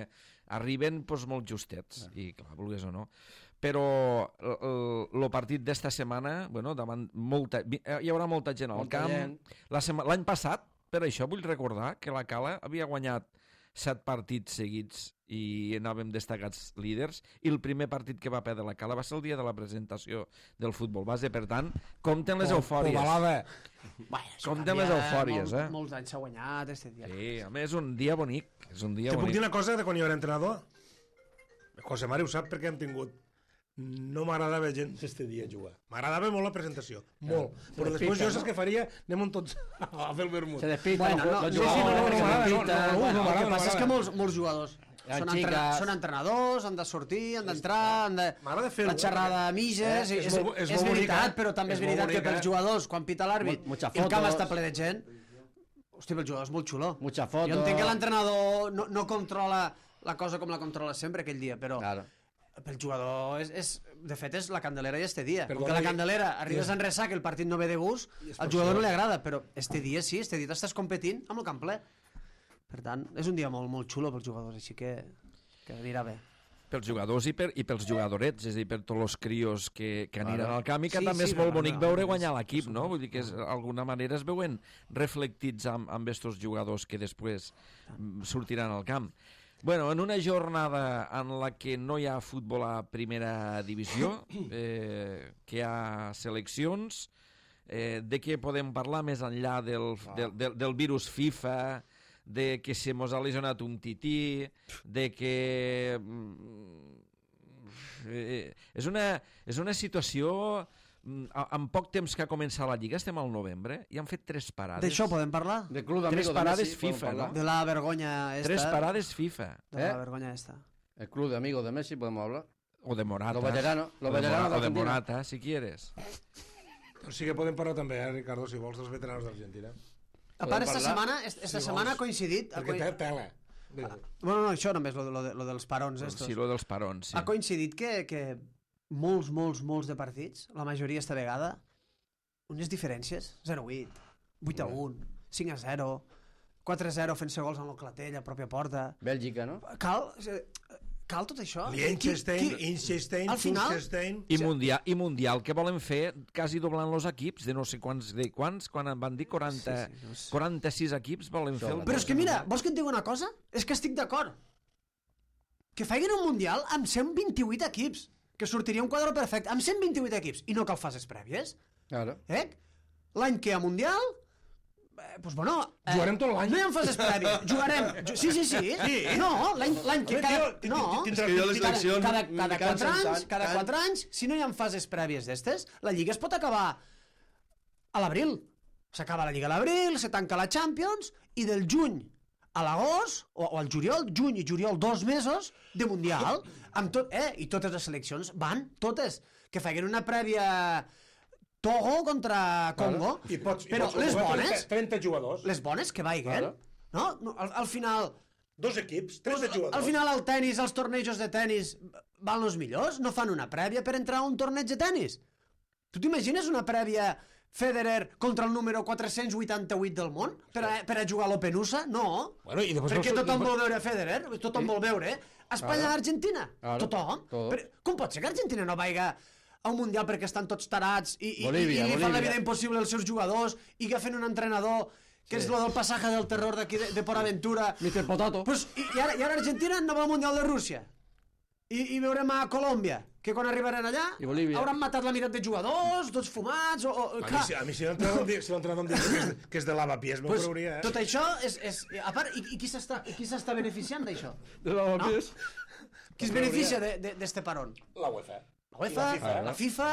arriben doncs, molt justets, i clar, vulguis o no. Però el partit d'esta setmana, bueno, davant molta, hi haurà molta gent al
Molta
camp.
gent.
La sema- L'any passat, per això vull recordar que la Cala havia guanyat set partits seguits i anàvem destacats líders, i el primer partit que va perdre la Cala va ser el dia de la presentació del futbol base. Per tant, compten les eufòries.
Ovalada.
Bueno, això
Compte amb les
canvia,
eufòries,
molt,
eh?
Molts anys s'ha guanyat, este dia.
Sí, a més, un dia bonic. És un dia
Te puc dir
bonic.
una cosa de quan jo era entrenador? José Mari ho sap perquè hem tingut. No m'agradava gens este dia jugar. M'agradava molt la presentació, molt. Però després jo saps què faria? Anem tots a fer el vermut.
Se despista.
Bueno, no,
los
sí,
sí, no, no,
jugadores,
no,
se
no,
despista.
no, no,
Bueno,
no,
el que
m'agrada,
passa és que
m'agrada.
molts, molts jugadors
Les
són,
xiques.
entre, són entrenadors, han de sortir, han d'entrar, han de...
M'agrada fer-ho,
La xerrada
perquè-
a mitges,
Eh,
és,
és
és,
molt- és
és
molt bonic,
veritat,
eh?
però també és,
És molt
veritat que
bonic,
pels
eh?
jugadors, quan pita l'àrbit,
Mu- mucha
i el camp
fotos.
està ple de gent, hòstia, pel jugador és molt xulo.
Mucha foto.
Jo entenc que l'entrenador no, no controla la cosa com la controla sempre aquell dia, però
Claro.
pel jugador és, és, de fet és la candelera i este dia.
Perdona,
Perquè la
i-
candelera arribes en ressac, el partit no ve de gust, al jugador no li agrada, però este dia sí, este dia t'estàs competint amb el camp ple. Per tant, és un dia molt, molt xulo pels jugadors, així que, que anirà bé.
Pels jugadors i, per, i pels jugadorets, és a dir, per tots els crios que, que aniran al camp, i que
Sí,
també
sí,
és molt
no, no,
bonic
no,
veure
és-
guanyar l'equip, no? Vull dir que és, d'alguna manera es veuen reflectits amb, amb estos jugadors que després mm, sortiran al camp. Bueno, en una jornada en la que no hi ha futbol a primera divisió, eh, que hi ha seleccions, eh, de què podem parlar més enllà del, del, del, del virus FIFA, de que se mos ha lesionat un tití, de que... mm, Eh, és, una, és una situació... mm, a- En poc temps que ha començat la Lliga, estem al novembre, i han fet tres parades.
D'això podem parlar?
De club
Tres
d'amigos de
parades
Messi, podem
FIFA,
hablar.
no?
De la vergonya esta.
Tres parades FIFA.
De la
¿Eh?
vergonya esta.
El club de amigos de Messi, podemos hablar.
O de Morata.
Los veteranos, los
O de
veteranos
Mora-
de
o de
Argentina.
Morata, si quieres.
Però sí que podem parlar també, eh, Ricardo, si vols, dels veterans d'Argentina.
A
Podem
part, esta
parlar?
setmana, est- esta
Si
setmana ha
vols.
coincidit... ha
Perquè
coi-
té tela.
Bueno, no, això només, lo, de- lo, de, lo dels parons estos.
Sí, lo dels parons, sí.
Ha coincidit que, que molts, molts, molts de partits, la majoria esta vegada, unes diferències, zero a vuit, vuit a un, cinc a zero, quatre a zero fent-se gols en el clatell, a pròpia porta...
Bèlgica, no?
Cal, cal tot això?
Liechtenstein,
Qui- qui-
Liechtenstein,
al final-
Liechtenstein...
I mundial, I mundial que volen fer quasi doblant els equips, de no sé quants, de quants, quan en van dir quaranta,
Sí, sí, no sé.
quaranta-sis equips volen fer el...
Però és que mira, vols que et digui una cosa? És que estic d'acord. Que facin un mundial amb cent vint-i-vuit equips, que sortiria un quadre perfecte, amb cent vint-i-vuit equips, i no cal fases prèvies.
Claro.
Eh? L'any que hi ha mundial, eh, doncs bueno... Eh,
Jugarem tot l'any.
No hi ha fases prèvies, jugarem... Ju sí, sí, sí. sí. No, l'any l'any que
Home,
cada...
tio,
No,
És que jo les
cada,
eleccions
cada,
me
cada,
cansen
quatre anys,
tant,
cada
tant.
quatre anys, si no hi ha fases prèvies d'estes, la Lliga es pot acabar a l'abril. S'acaba la Lliga a l'abril, se tanca la Champions, i del juny a l'agost, o, o al juliol, juny i juliol, dos mesos de Mundial, amb tot, eh, i totes les seleccions van, totes, que facin una prèvia Togo contra Congo,
I pots, i
però
pots
les
jugar
bones,
trenta, trenta jugadors.
les bones que vaiguen,
Claro.
no? no al, al final,
Dos equips, tres de
Pues,
jugadors.
al final el tennis, els tornejos de tennis van els millors? No fan una prèvia per entrar a un torneig de tennis? Tu t'imagines una prèvia Federer contra el número quatre-cents vuitanta-vuit del món per a, per a jugar a l'Open U S A? No,
Bueno, i després
perquè
no-
tothom
després-
vol veure Federer, tothom vol veure Espanya-Argentina,
Claro.
tothom.
Todo.
Però com pot ser que Argentina no vaiga a un Mundial perquè estan tots tarats i, i,
Bolívia,
i, i li fan la
Bolívia.
vida impossible als seus jugadors i agafen un entrenador que és lo del passaje del terror d'aquí de, de Port Aventura.
mister Potato.
Pues, i, i, ara, I ara Argentina no va al Mundial de Rússia. I, i veurem a Colòmbia, que quan arribaran allà
I Bolívia.
hauran matat la meitat de jugadors, tots fumats, o... o
A mi,
clar,
si, a mi si l'entrenador em di- si l'entrenador em diu que és, que és de lavapiés, m'ho
pues,
creuria, eh?
tot això és... és a part, i, i qui s'està i qui s'està beneficiant d'això?
De la
No? Qui es beneficia d'este de, de parón?
La UEFA.
La UEFA,
I la FIFA.
la FIFA,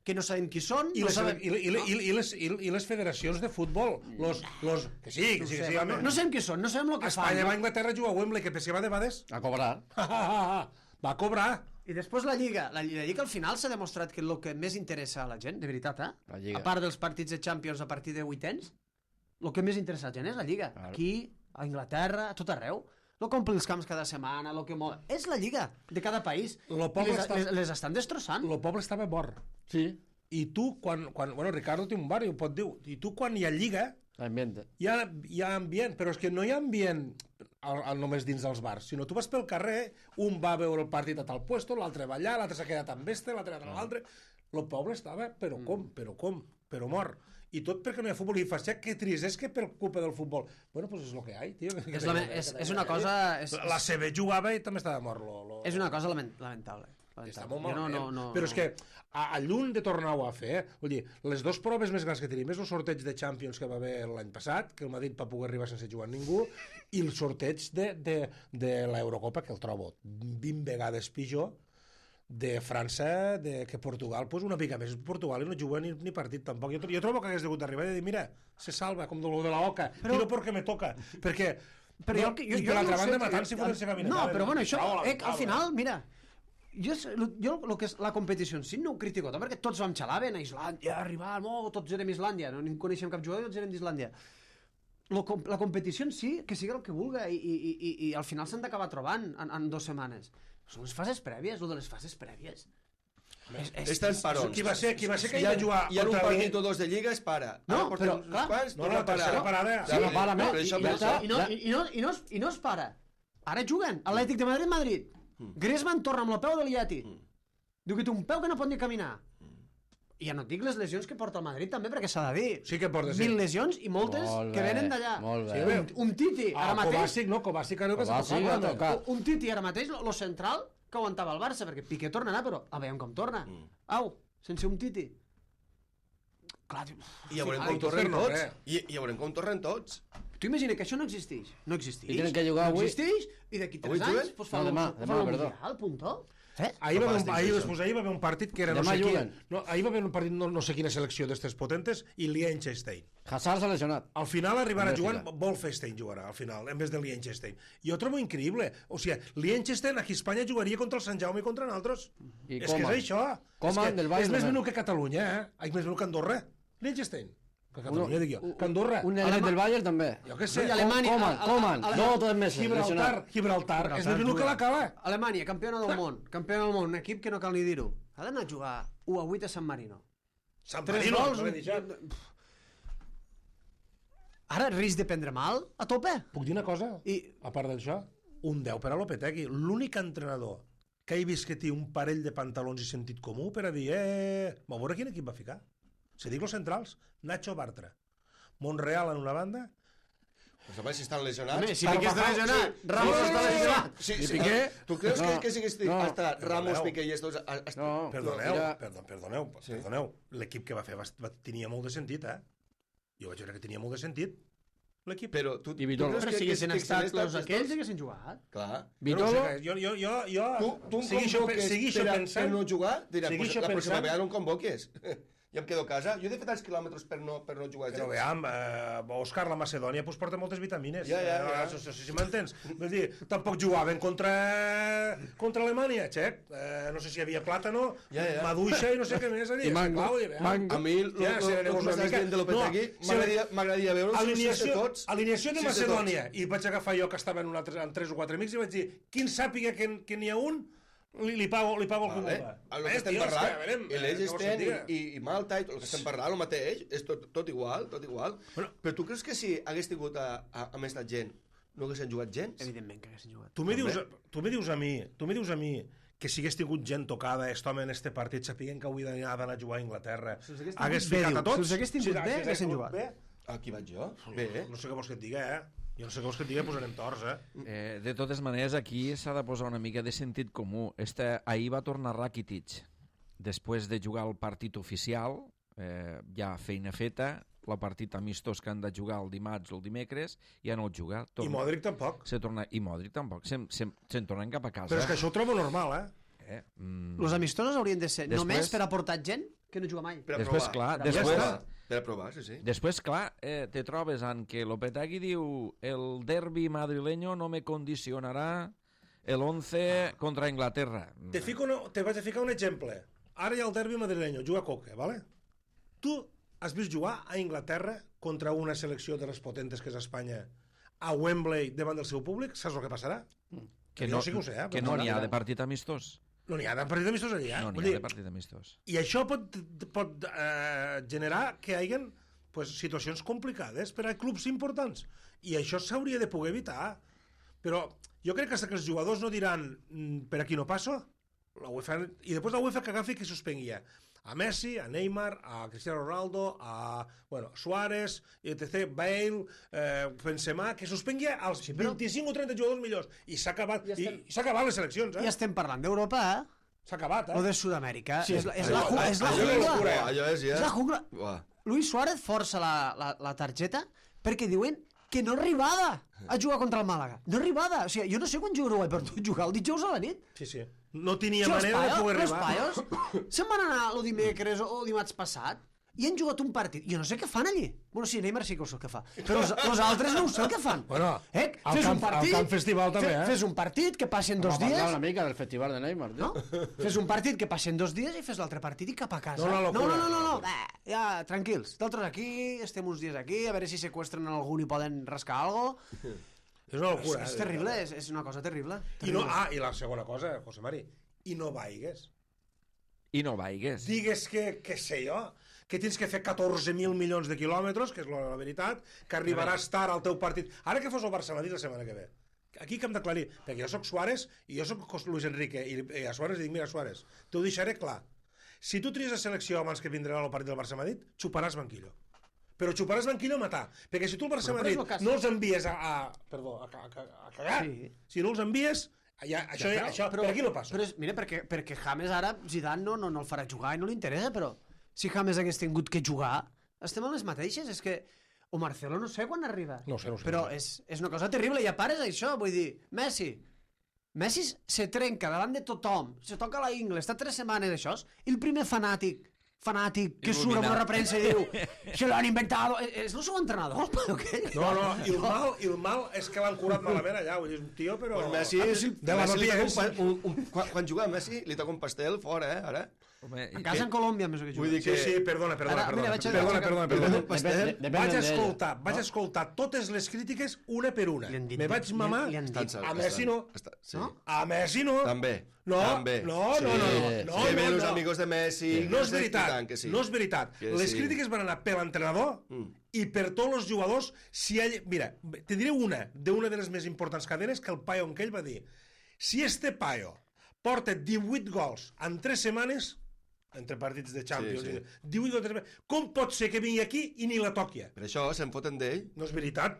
que no sabem qui són,
I
no
les,
sabem...
i, i, i, i, les, i, i les federacions de futbol, los, los, que sí, que sí, que sí,
no,
home.
no sabem qui són, no sabem el que fan.
Espanya
no?
va a Inglaterra a jugar a Wembley, que pensava de vegades.
A cobrar.
Va cobrar.
I després la Lliga. La, la Lliga al final s'ha demostrat que el que més interessa a la gent, de veritat, eh?
La Lliga.
A part dels partits de Champions a partir de vuitens, el que més interessa a la gent és la Lliga.
Claro.
Aquí, a Anglaterra, a tot arreu. No compli els camps cada setmana, lo que mou... És la Lliga de cada país.
Lo
I
poble
les,
està-
les, les estan destrossant.
El poble estava mort.
Sí.
I tu, quan, quan... Bueno, Ricardo té un bar i ho pot dir. I tu, quan hi ha lliga,
L'ambiente.
hi ha, hi ha ambient, però és que no hi ha ambient al, al, només dins dels bars, sinó tu vas pel carrer, un va a veure el partit a tal puesto, l'altre va allà, l'altre s'ha quedat amb este, l'altre a l'altre... El poble estava, però com, però com, però mort. I tot perquè no hi ha futbol. I fas, ja, que trist, és que per culpa del futbol. Bueno, pues és el que hi ha, tio.
És, la, és, és una cosa... És,
La C B jugava i també estava mort. Lo, lo...
és una cosa lament, lamentable.
Està
lamentable.
molt
Jo
malament.
no, no, no,
però és que a, a lluny de tornar-ho a fer, eh? Vull dir, les dues proves més grans que tenim és el sorteig de Champions que va haver l'any passat, que el Madrid va poder arribar sense jugar ningú, i el sorteig de, de, de l'Eurocopa, que el trobo vint vegades pitjor, de França, de que Portugal, pues una mica més. Portugal i no juga ni, ni partit tampoc. Jo, jo trobo que hagués hagut d'arribar i dir, mira, se salva, com de lo de la Oca, però... tiro perquè me toca, perquè...
Però
no,
jo, jo,
i
jo
per l'altra
no
banda
sé,
matant-se
jo-
fotent-se caminant.
No, però bueno, això,
Bravo,
eh,
bravo.
al final, mira, jo, és- lo- jo el que és la competició en si no ho critico tant, perquè tots vam xalaven a Islàndia, arribar, no, tots érem Islàndia, no en coneixem cap jugador, tots érem d'Islàndia. Lo com- La competició en si, que sigui el que vulga, i, i, i, i, i al final s'han d'acabar trobant en, en dues setmanes. Són les fases prèvies, lo de les fases prèvies. És, és,
Està en parons.
Qui va ser, qui va ser que
Hi
hi
ha,
va jugar
hi ha un
contra
partit
l'I-
o dos de Lliga, es para.
No,
Ara portem
però,
uns
clar.
quants,
No,
torna
no,
a parar.
tercera parada.
Sí,
no para més.
per
I,
això,
i,
per
i,
això.
i, no, i, i, no, i, no, es, I no es para. Ara juguen. Atlètic de Madrid, Madrid. Griezmann torna amb el peu de l'Iati. Diu que té un peu que no pot ni caminar. I ja no et dic les lesions que porta el Madrid també, perquè s'ha de dir.
Sí que porta, sí.
Mil lesions i moltes
Molt
que
bé,
venen d'allà.
molt bé.
Sí, bé.
Un, un Titi,
Ah,
ara mateix...
Kovacic, no, Kovacic creo que s'ha
Kovacic
tocat.
ha
no?
tocat.
Un Titi ara mateix, lo, lo central, que aguantava el Barça, perquè Piqué tornarà, però a veure com torna. Au, sense un Titi. Clar, tio,
I ja veurem
ai,
com tornen
no,
tots.
res.
I, I ja veurem com tornen tots.
Tu imagina que això no existeix. No existeix.
I tenen que jugar
no
avui.
existeix, i d'aquí
Avui
tres
juguen?
anys pues, fa
No,
el-
demà,
fa
demà,
el
perdó.
Mundial, puntó. Eh?
Ahir va, haver un,
Fantàstic,
ahir,
això.
pues, ahir va haver un partit que era no
Demà
sé,
juguen.
quin, no, ahir va haver un partit no, no sé quina selecció d'estes potentes i Liechtenstein.
Hazard s'ha lesionat.
Al final arribarà
Bèlgica.
jugant Wolfenstein jugarà al final, en vez de Liechtenstein. Jo trobo increïble. O sigui, Liechtenstein aquí a Espanya jugaria contra el Sant Jaume i contra nosaltres.
I
és
Coman.
que és això.
Coman
és, que
del Bayern
és més
de
menut que Catalunya, eh? És més menut que Andorra. Liechtenstein. Que Catalunya, dic jo. Que Andorra.
Un element del Bayern també.
Jo què sé.
I Alemanya-
Coman,
a- a-
Coman.
a- a-
No, tres mesos.
Gibraltar,
lesionat.
Gibraltar. És més menut que la cala.
Alemanya, campiona del món. Campiona del món, un equip que no cal ni dir-ho. Ha d'anar a jugar u a vuit a San Marino.
Sant
Tres
Marino,
gols.
no l'he deixat.
Ara, risc de prendre mal, a tope.
Puc dir una cosa?
I
A part d'això, un deu per a Lopetegui. L'únic entrenador que he vist que té un parell de pantalons i sentit comú per a dir, eh, va veure quin equip va ficar. Se dic los centrals, Nacho Bartra. Monreal en una banda.
Pues a veure si estan lesionats.
Home, si Piqué està lesionat,
Sí.
Ramos
Sí,
està
sí, sí,
lesionat.
sí,
I
sí.
Piqué?
Tu creus
No,
que, que sigues
no.
hasta Ramos,
Perdoneu.
Piqué i estos... a- a-
No.
Perdoneu,
mira.
perdó, perdoneu,
Sí.
perdoneu. L'equip que va fer va, va, tenia molt de sentit, eh? Jo vaig veure que tenia molt de sentit, l'equip.
Però tu, tu
I Vitolo.
creus
Però
que,
si
que,
haguessin
que,
estat
que,
els aquells, haguessin jugat.
Clar.
Però,
Vitolo,
o sigui, jo, jo, jo, jo
Tu, tu em
segueixo,
convoques
segueixo
per, a,
pensant...
per no jugar, dirà, pues,
segueixo
la pròxima
pensant-
vegada no em convoques. i em quedo a casa. Jo he de fer tants quilòmetres per no, per no jugar
Però
gens.
veam, eh, Òscar, la Macedònia pues, porta moltes vitamines.
Ja, ja, ja.
Eh, no sé si m'entens. Vull dir, tampoc jugaven contra, contra Alemanya, xec. Eh, no sé si hi havia plàtano,
Ja, ja.
maduixa i no sé què més.
I mango, mango.
A mi, el
Ja,
que
sí, llavors una
m'estàs
mica-
dient de Lopetegui,
No,
m'agradaria m'agradaria veure els
Alineació,
de tots.
alineació de
sis tots.
Macedònia. I vaig agafar jo que estava en, un altre, en tres o quatre amics i vaig dir, qui en sàpiga que, que n'hi ha un, li, li pago, li pago el
Vale.
que vulgui.
El que estem parlant, i
eh,
l'Egisten i, i Malta, i tot el que estem parlant, el mateix, és tot, tot igual, tot igual.
Bueno.
Però tu creus que si hagués tingut a, a, a més gent, no haguessin jugat gens?
Evidentment que haguessin jugat.
Tu me dius, tu me dius a mi, tu me dius a mi que si hagués tingut gent tocada, est home en este partit, sapiguen que avui d'anar a jugar a Anglaterra,
Si els hagués tingut
hagués
bé,
ficat
diu.
a tots?
Si els hagués tingut bé,
si els
haguessin
tingut
jugat.
bé,
Aquí vaig jo. Bé, eh?
no sé què vols que et diga, eh? Jo no sé què vols que et diga, posarem torts, eh?
Eh, de totes maneres, aquí s'ha de posar una mica de sentit comú. Este, ahir va tornar Rakitic, després de jugar el partit oficial, eh, ja feina feta, el partit amistós que han de jugar el dimarts o el dimecres, ja no el juga.
I Modric tampoc.
Se torna, I Modric tampoc. Se'n se, se tornen cap a casa.
Però és que això ho trobo normal, eh?
Eh? Mm.
Els amistosos haurien de ser
Després-
només per aportar gent que no juga mai.
Per a
Després,
provar.
clar,
Per a
després-
provar. Per a provar, sí, sí.
Després, clar, eh, te trobes en que Lopetegui diu el derbi madrileño no me condicionarà el once contra Inglaterra.
Te, fico una, te vaig a ficar un exemple. Ara hi ha el derbi madrileño, juga Coque, ¿vale? Tu has vist jugar a Inglaterra contra una selecció de les potentes que és Espanya a Wembley davant del seu públic? Saps el que passarà?
Que
Jo
no,
sí que ho sé, eh?
que
Però
no n'hi ha
mira,
de partit amistós.
No n'hi ha de partit amistós allà.
No
Vull
n'hi ha
dir,
de partit amistós.
I això pot, pot eh, generar que hi hagi pues, situacions complicades per a clubs importants. I això s'hauria de poder evitar. Però jo crec que fins que els jugadors no diran mm, per aquí no passo, la UEFA, i després la UEFA que agafi que suspenguia a Messi, a Neymar, a Cristiano Ronaldo, a bueno, Suárez, etcètera, Bale, eh, Benzema, que suspenguia als sí, però... vint-i-cinc o trenta jugadors millors. I s'ha acabat,
Ja estem...
i, i s'ha acabat les eleccions, eh?
Ja estem parlant d'Europa, eh?
S'ha acabat,
O
eh?
de Sud-amèrica.
Sí,
és la, és
allò-
la, ju- és la
allò és
jungla.
locura.
Allò és ja...
És la jungla.
Uah.
Luis Suárez força la, la, la targeta perquè diuen que no arribada a jugar contra el Màlaga. No arribada. O sigui, jo no sé quan jugareu per tu jugar el dijous a la nit.
Sí, sí. No tenia
Si els
manera de
paios,
poder
els
arribar.
paios se'n van anar el dimecres o dimarts passat i han jugat un partit. Jo no sé què fan allí. Bueno, sí, Neymar sí que ho sé el que fa. Però els, els altres no ho sé el que fan.
Bueno,
eh?
al
Fes
camp-
un partit,
al camp festival també, eh?
Fes un partit que passen dos
Vamos a
dies...
hablar una mica del festival de Neymar, tío.
No? Fes un partit que passen dos dies i fes l'altre partit i cap a casa.
No, una
no,
locura.
no, no, no, no. Bah, ja, tranquils. D'altres aquí, estem uns dies aquí, a veure si seqüestren algú i poden rascar algo.
És una locura.
És
eh?
terrible, és, és una cosa terrible.
I no,
terrible.
ah, i la segona cosa, José Mari, i no vaigues.
I no vaigues.
Digues que, que sé jo, que tens que fer catorze mil milions de quilòmetres, que és la, la veritat, que arribaràs tard al teu partit. Ara que fos el Barça-Madrid la setmana que ve. Aquí que hem d'aclarir, perquè jo sóc Suárez i jo sóc Luis Enrique, i, i a Suárez li dic, mira Suárez, t'ho deixaré clar. Si tu tries la selecció abans que vindrà el partit del Barça-Madrid, xuparàs banquillo. Però xuparàs banquillo a matar. Perquè si tu el Barça-Madrid
Però, però és el cas.
no els envies a, a, perdó, a, a, a cagar,
Sí.
si no els envies, ja, això, ja, això per aquí no passa.
Però és, mira, perquè, perquè James ara, Zidane no, no, no el farà jugar i no li interessa, però si James hagués tingut que jugar, estem en les mateixes, és que... O Marcelo no sé quan arriba.
No sé, no sé.
Però
no sé.
és, és una cosa terrible, i a part és això, vull dir, Messi, Messi se trenca davant de tothom, se toca la ingle, està tres setmanes això, i el primer fanàtic, fanàtic, que surt amb una repremsa i diu se lo han inventado, és el seu entrenador, el paio aquell?
No, no, i el mal, i el mal és que l'han curat malament allà, vull dir, és un tio, però...
Pues Messi,
de la
Messi li
papilla
toca un, un, un, quan, quan juga a Messi li toca un pastel fora, eh, ara.
Home,
A casa en Colòmbia, més que
Vull
juga.
dir
Sí,
que...
sí, perdona, perdona,
Ara,
perdona,
mira, vaig a-
perdona,
vaig a-
perdona,
Li
perdona.
toca un pastel.
Depèn
Vaig
d'ell.
escoltar, vaig escoltar totes les crítiques una per una.
Li han dit-
Me vaig
li han-
mamar
li han dit-
Estan-
a Messi no.
Està, sí.
No?
A Messi no.
També.
No,
També.
no, no, no, no, no,
que
no,
ve
no.
los amigos de Messi.
No és
sé, i
veritat,
tant que sí.
no és veritat.
Que
Les
sí.
crítiques van anar per l'entrenador
Mm.
i per tots els jugadors. Si ell... Mira, te diré una, d'una de les més importants cadenes, que el paio en què ell va dir si este paio porta divuit gols en tres setmanes, entre partits de Champions,
Sí, sí.
i divuit gols en tres setmanes, com pot ser que vingui aquí i ni la toqui?
Per això se'n foten d'ell.
No és veritat.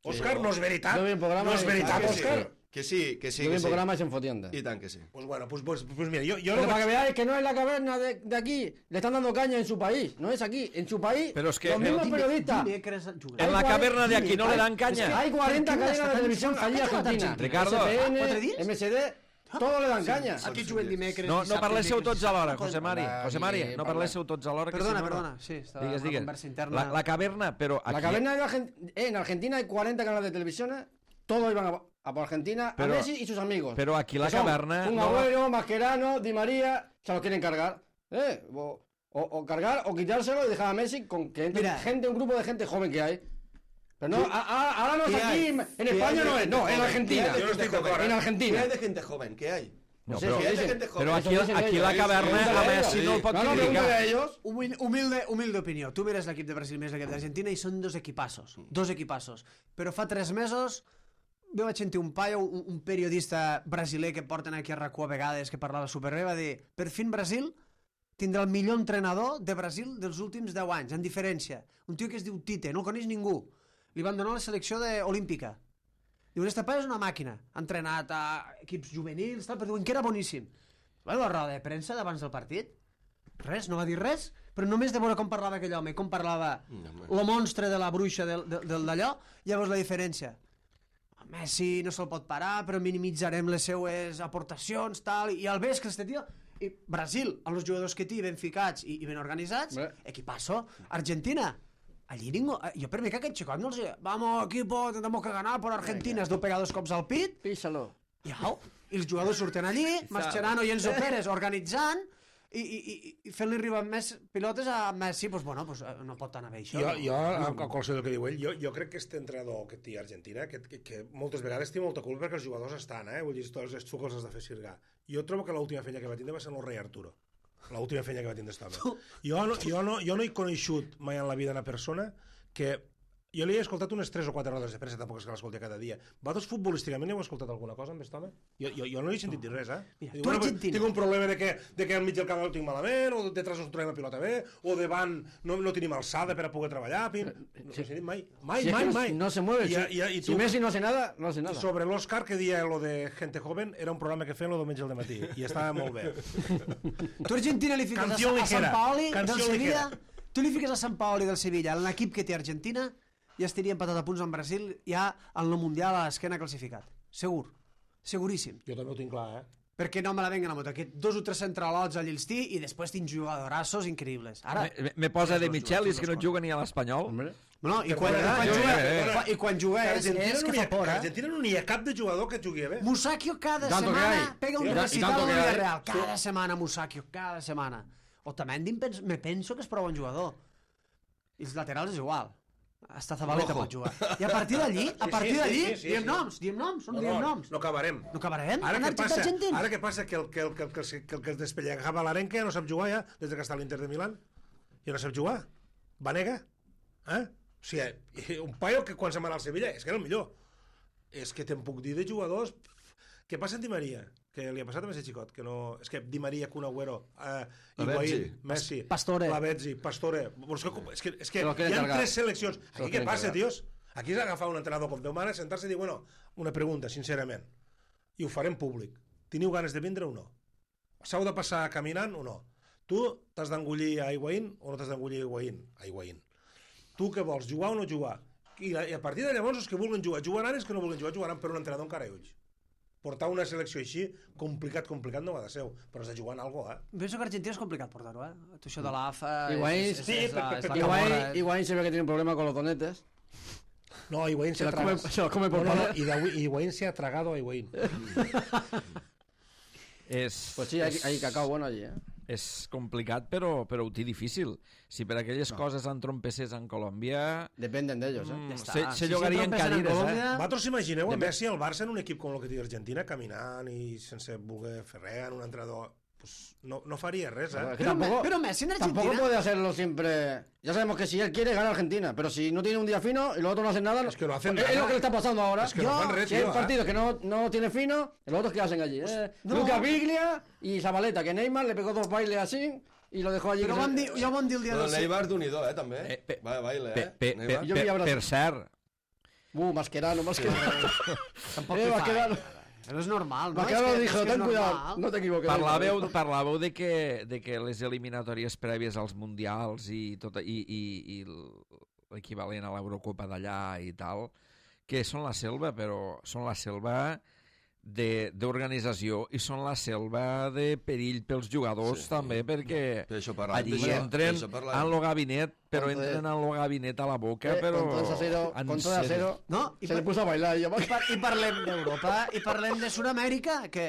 Òscar, no és veritat.
No ve un programa
No és
de-
veritat,
que
sí.
Òscar.
Que sí, que sí,
Yo vi
que
un
sí.
programa y se enfotienda.
I tant que sí.
Pues bueno, pues, pues, pues mira, yo, yo
Pero
no
para que
vaig...
veáis que no es la caverna de, de aquí, le están dando caña en su país, no es aquí, en su país,
Pero es que-
los mismos
Dime-
periodistas.
dimecres juga.
En la
Hay
caverna de
cuarenta-
aquí no le dan caña.
Hay cuarenta
¿Por qué
cadenas de
está tan
televisión
insulta?
allí
¿Por qué está tan
Argentina.
insulta?
Ricardo,
S P N,
¿cuatro días?
M S D, Todos le dan caña.
Aquí juguen dimecres...
No, no
dissabte,
parléssiu
dimecres,
tots alhora,
dissabte,
José Mari.
Va,
José Mari,
Guille,
no
parla.
parléssiu tots alhora. Que
Perdona,
si no, no.
perdona, sí, estava
Digues,
una
digues.
conversa interna.
La, la caverna, pero aquí...
La caverna de Argen- eh, en Argentina hay cuarenta canales de televisión, todos iban a, a por Argentina,
Pero-
a Messi y sus amigos.
Pero aquí la
Que son
caverna...
Un
no-
Agüero, Mascherano, Di María, se lo quieren cargar. ¿Eh? O, o, o cargar o quitárselo y dejar a Messi con que entre
Mira.
gente, un grupo de gente joven que hay. Pero no, a- a- ahora no es
¿Qué
aquí,
hay?
en
¿Qué
España
hay de
no es,
gente
no, en
joven?
Argentina.
¿Qué hay de
Yo no estoy
gente joven?
d'acord.
En
¿Qué
Argentina.
hay de gente joven? ¿Qué hay?
No,
Sí,
però,
sí,
¿Qué hay de
dicen-
gente joven?
però aquí,
Eso dicen
aquí
ellos.
la
Sí,
caverna
sí,
a
sí.
Messi no el pot
No, no,
criticar.
pregunta a ellos.
Humil- Humilde, humilde opinió. Tu mires l'equip de Brasil, mires l'equip d'Argentina i són dos equipassos. Dos equipassos. Però fa tres mesos jo vaig sentir un paio, un, un periodista brasiler que porten aquí a RAC u a vegades, que parlava superbé, va dir, per fin Brasil tindrà el millor entrenador de Brasil dels últims deu anys, en diferència. Un tio que es diu Tite, no el coneix ningú. Li van donar la selecció de, olímpica. Diuen, este paio és una màquina. Ha entrenat a equips juvenils, tal, però diuen que era boníssim. Va la roda de premsa d'abans del partit? Res, no va dir res, però només de veure com parlava aquell home, com parlava el monstre de la bruixa del, del, del d'allò, llavors la diferència. Messi no se'l pot parar, però minimitzarem les seues aportacions, tal, i al vespre este tio... I Brasil, amb els jugadors que té ben ficats i, i ben organitzats,
Bé.
equipasso. Argentina, allí ningú... Jo per mi que aquest xicot no els diu, vamos equipo, tenemos que ganar por Argentina, es deu pegar dos cops al pit,
Písalo.
i au, i els jugadors surten allí, Mascherano i Enzo Pérez organitzant, i, i, i, i fent-li arribar més pilotes a Messi, pues, bueno, pues, eh, no pot anar bé això.
Jo,
no?
jo a, a qualsevol del que diu ell, jo, jo crec que este entrenador que té a Argentina, que, que, que moltes vegades té molta culpa perquè els jugadors estan, eh? Vull dir, tots els xucos els de fer sirgar. Jo trobo que l'última feina que va tindre va ser el rei Arturo. L'última feina que va tindre aquest home. Jo no, jo, no, jo no he coneixut mai en la vida una persona que... Jo li he escoltat unes tres o quatre rodes de premsa, tampoc és que l'escolti cada dia. Vosaltres futbolísticament heu escoltat alguna cosa amb aquest home? Jo, jo, jo no he sentit dir res, eh?
Mira,
Diu,
tu
bueno,
Argentina.
tinc un problema de que, de que al mig del camp ho tinc malament, o detrás no trobem la pilota bé, o davant no, no tenim alçada per a poder treballar. Pim. No he sentit mai. Mai,
Si es
mai,
que no,
mai.
no se mueve.
I,
si,
i, i
si
tu,
Messi no hace nada, no hace nada.
sobre l'Òscar, que dia lo de Gente Joven, era un programa que feien el diumenge al matí, i estava molt bé.
Tu a Argentina li fiques a,
Canción
a Sant
ligera.
Paoli del
Canción
Sevilla,
ligera.
tu li fiques a Sant Paoli del Sevilla, en l'equip que té Argentina, ja estaria empatat a punts amb Brasil, ja en el Mundial a l'esquena classificat. Segur. Seguríssim.
Jo també ho tinc clar, eh?
Perquè no me la venguen a moto. Aquests dos o tres centralots allà els té i després tinc jugadorassos increïbles. Ara,
Me, me posa de Michelis, que no juga ni a l'Espanyol.
Hombre.
no, i quan,
Perdona,
quan
jo-
juga,
perdona.
i quan juga és,
Argentina
és
no
que
n'hi
fa
ha-
por, eh?
Argentina no n'hi ha cap de jugador que jugui bé.
Musakio cada
Tanto que
semana
hay.
pega un
Y
recital
tanto
al
que hay.
Villarreal. Cada semana Musakio, cada semana. Otamendi em pens- me penso que és prou bon jugador. I els laterals és igual. Hasta Zabaleta pot jugar. I a partir d'allí, a
Sí,
partir
sí,
d'allí,
sí, sí, sí,
diem
sí.
noms, diem noms, no,
No,
diem
no,
noms.
no acabarem.
No acabarem?
Ara
En
què
Argentina,
passa?
Argentina.
Ara què passa? Que el que, el, que, el, que, el, que el despellejava l'Arenca ja no sap jugar ja, des que està a l'Inter de Milán. Ja no sap jugar. Vanega. Eh? O sigui, un paio que quan se'n va anar al Sevilla és que era el millor. És que te'n puc dir de jugadors... Què passa amb Di Maria? Que li ha passat a Messi xicot, que no... És que Di Maria, Kun Agüero, eh, Higuaín, Messi,
Pastore.
Lavezzi, Pastore... És que, és que, és que
Se lo
hi
quieren
ha
cargar.
tres seleccions.
Se lo
Aquí què
quieren
passa,
cargar.
tios? Aquí és agafar un entrenador com Déu mare, sentar-se i dir, bueno, una pregunta, sincerament, i ho farem públic. Teniu ganes de vindre o no? S'heu de passar caminant o no? Tu t'has d'engollir a Higuaín o no t'has d'engollir a Higuaín? A Higuaín. Tu què vols, jugar o no jugar? I, la, i a partir de llavors els que vulguin jugar, jugaran, els que no vulguin jugar, jugaran per un entrenador encara i ulls. Portar una selecció així, complicat, complicat no va de seu, però has de jugar en algo, eh?
Penso que Argentina és complicat portar-ho, eh? Tu això de l'A F A...
Higuaín,
és- és-
sí,
és la-
perquè-
és la
perquè
camorra,
Higuaín,
eh?
Higuaín se ve que tiene un problema con los donetes.
No, Higuaín se,
Se
ha
la come,
tragado.
se la come por
No, no, no,
poner.
y de- Higuaín se ha tragado a Higuaín.
És,
Pues sí, hay,
és,
hay cacao bueno allí, ¿eh?
és complicat, però, però ho té difícil. Si per aquelles no. coses entrompesses en Colòmbia...
Dependen de ellos, ¿eh?
Mm,
està.
se, se
Si
llogarien
sempre pensen en
cadires,
Colòmbia-
eh?
Vosaltres imagineu a Messi al Barça en un equip com el que té Argentina, caminant i sense voler fer res, en un entrenador... Pues no, no faria res, eh?
Que
Pero,
tampoco,
pero Messi en
tampoco
Argentina...
puede hacerlo siempre. Ya sabemos que si él quiere, gana Argentina. Pero si no tiene un día fino y los otros no hacen nada.
Es que no hacen
es,
nada.
es lo que le está pasando ahora.
Es que no fan res,
Si hay
tío, ¿eh?
partidos que no, no tiene fino, los otros que hacen allí. Eh,
no.
Luca Biglia y Zabaleta, que Neymar le pegó dos bailes así y lo dejó allí.
Però
que
vam
se-
dir, ja ho vam dir el dia
Però
del...
Neymar d'un-i-do, eh, també.
Eh, pe-
Va, baile,
Pe,
eh?
pe, pe,
Neymar.
Jo vi a
per,
Brasil.
per cert,
Uh, Mascherano, Mascherano.
Tampoc
eh,
li fa,
Mascherano.
eh? Però és normal, no?
Mascherano
És que-
dijo,
és que és
ten cuidado,
normal.
no te equivoques.
parlàveu, parlàveu de, que, de que les eliminatòries prèvies als mundials i, tot, i, i, i l'equivalent a l'Eurocopa d'allà i tal, que són la selva, però són la selva d'organització i són la selva de perill pels jugadors, sí, també, perquè
per això parlàvem,
allí
això,
entren
això
en el gabinet, però
Contra-
entren en el gabinet a la boca,
Eh,
però...
Contra el Sacero,
en
contra el
sèrio.
Sacero,
No, i
se le
per-
puso a bailar i
I, par I parlem d'Europa, i parlem de Sud-amèrica, que,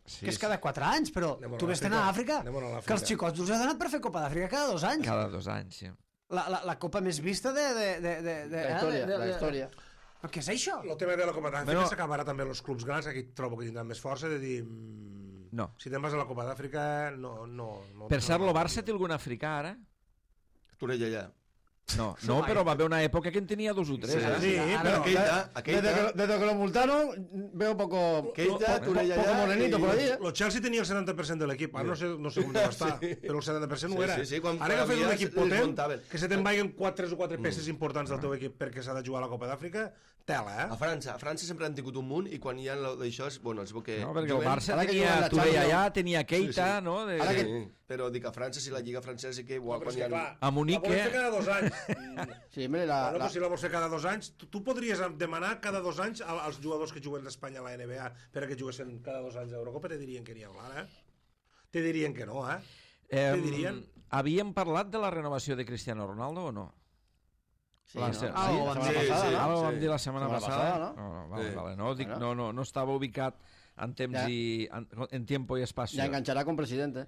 Sí,
que és cada quatre anys, però
Anem a
tu ves
l'Àfrica.
a Àfrica,
Anem a l'Àfrica.
que els xicots us ha donat per fer Copa d'Àfrica cada dos anys.
Cada dos anys, sí.
La, la, la copa més vista de... de, de, de, de
la història,
eh, de, de,
la història.
Però què és això?
El tema de la Copa d'Àfrica
Bueno.
s'acabarà també els clubs grans, aquí trobo que tindran més força de dir... mm,
No.
Si te'n vas a la Copa d'Àfrica, no... no, no
Per cert, el Barça té algun africà ara?
Torella allà.
No, no, però va haver una època que en tenia dos o tres,
Sí,
eh?
Sí,
Ara-
però...
Keita, a
Desde
Keita,
que, desde que lo multaron, veo poco,
Keita,
po-
Torella
poco
allà
morenito
i-
por ahí, ¿eh?
El Chelsea tenia el setanta per cent de l'equip, ara no sé, no sé com deu estar, però el setanta per cent
Sí,
ho era.
sí, sí, quan-
Ara
quan
que fes un
havia
equip
es
potent,
muntaven.
que se te'n vagin quatre, tres o quatre peces importants del teu equip perquè s'ha de jugar a la Copa d'Àfrica, tela,
a
eh?
França, a França sempre han tingut un munt i quan hi ha lo d'això és, bueno, es veu que...
No, perquè el
juguen-
Barça
Ara que
tenia
juguen la
Torella
Champions.
allà, tenia Keita,
Sí, sí.
no? De,
Ara
Sí,
que-
però dic a França, si la Lliga francesa sí que igual
Però
quan
és
hi
que,
ha...
clar,
A Munique-
la volen fer cada dos anys.
Sí, mire, la,
Bueno,
la,
pues si la vols fer cada dos anys, tu, tu podries demanar cada dos anys a- als jugadors que juguen d'Espanya a la N B A perquè juguessin cada dos anys a l'Eurocopa, te dirien que n'hi ha ara, eh? Te dirien que no, eh?
Eh,
Què dirien?
havíem parlat de la renovació de Cristiano Ronaldo o no?
sí,
la
no?
se-
Ah,
sí,
la
sí,
setmana
sí,
passada,
sí.
¿no?
Ara ho vam
sí.
dir la setmana
Setmana
passada.
passada,
no? No, vale,
Sí.
vale, no, dic,
Bueno.
no, no, no estava ubicat en temps
Ja.
i en, en tiempo y espacio.
Ya enganchará con presidente.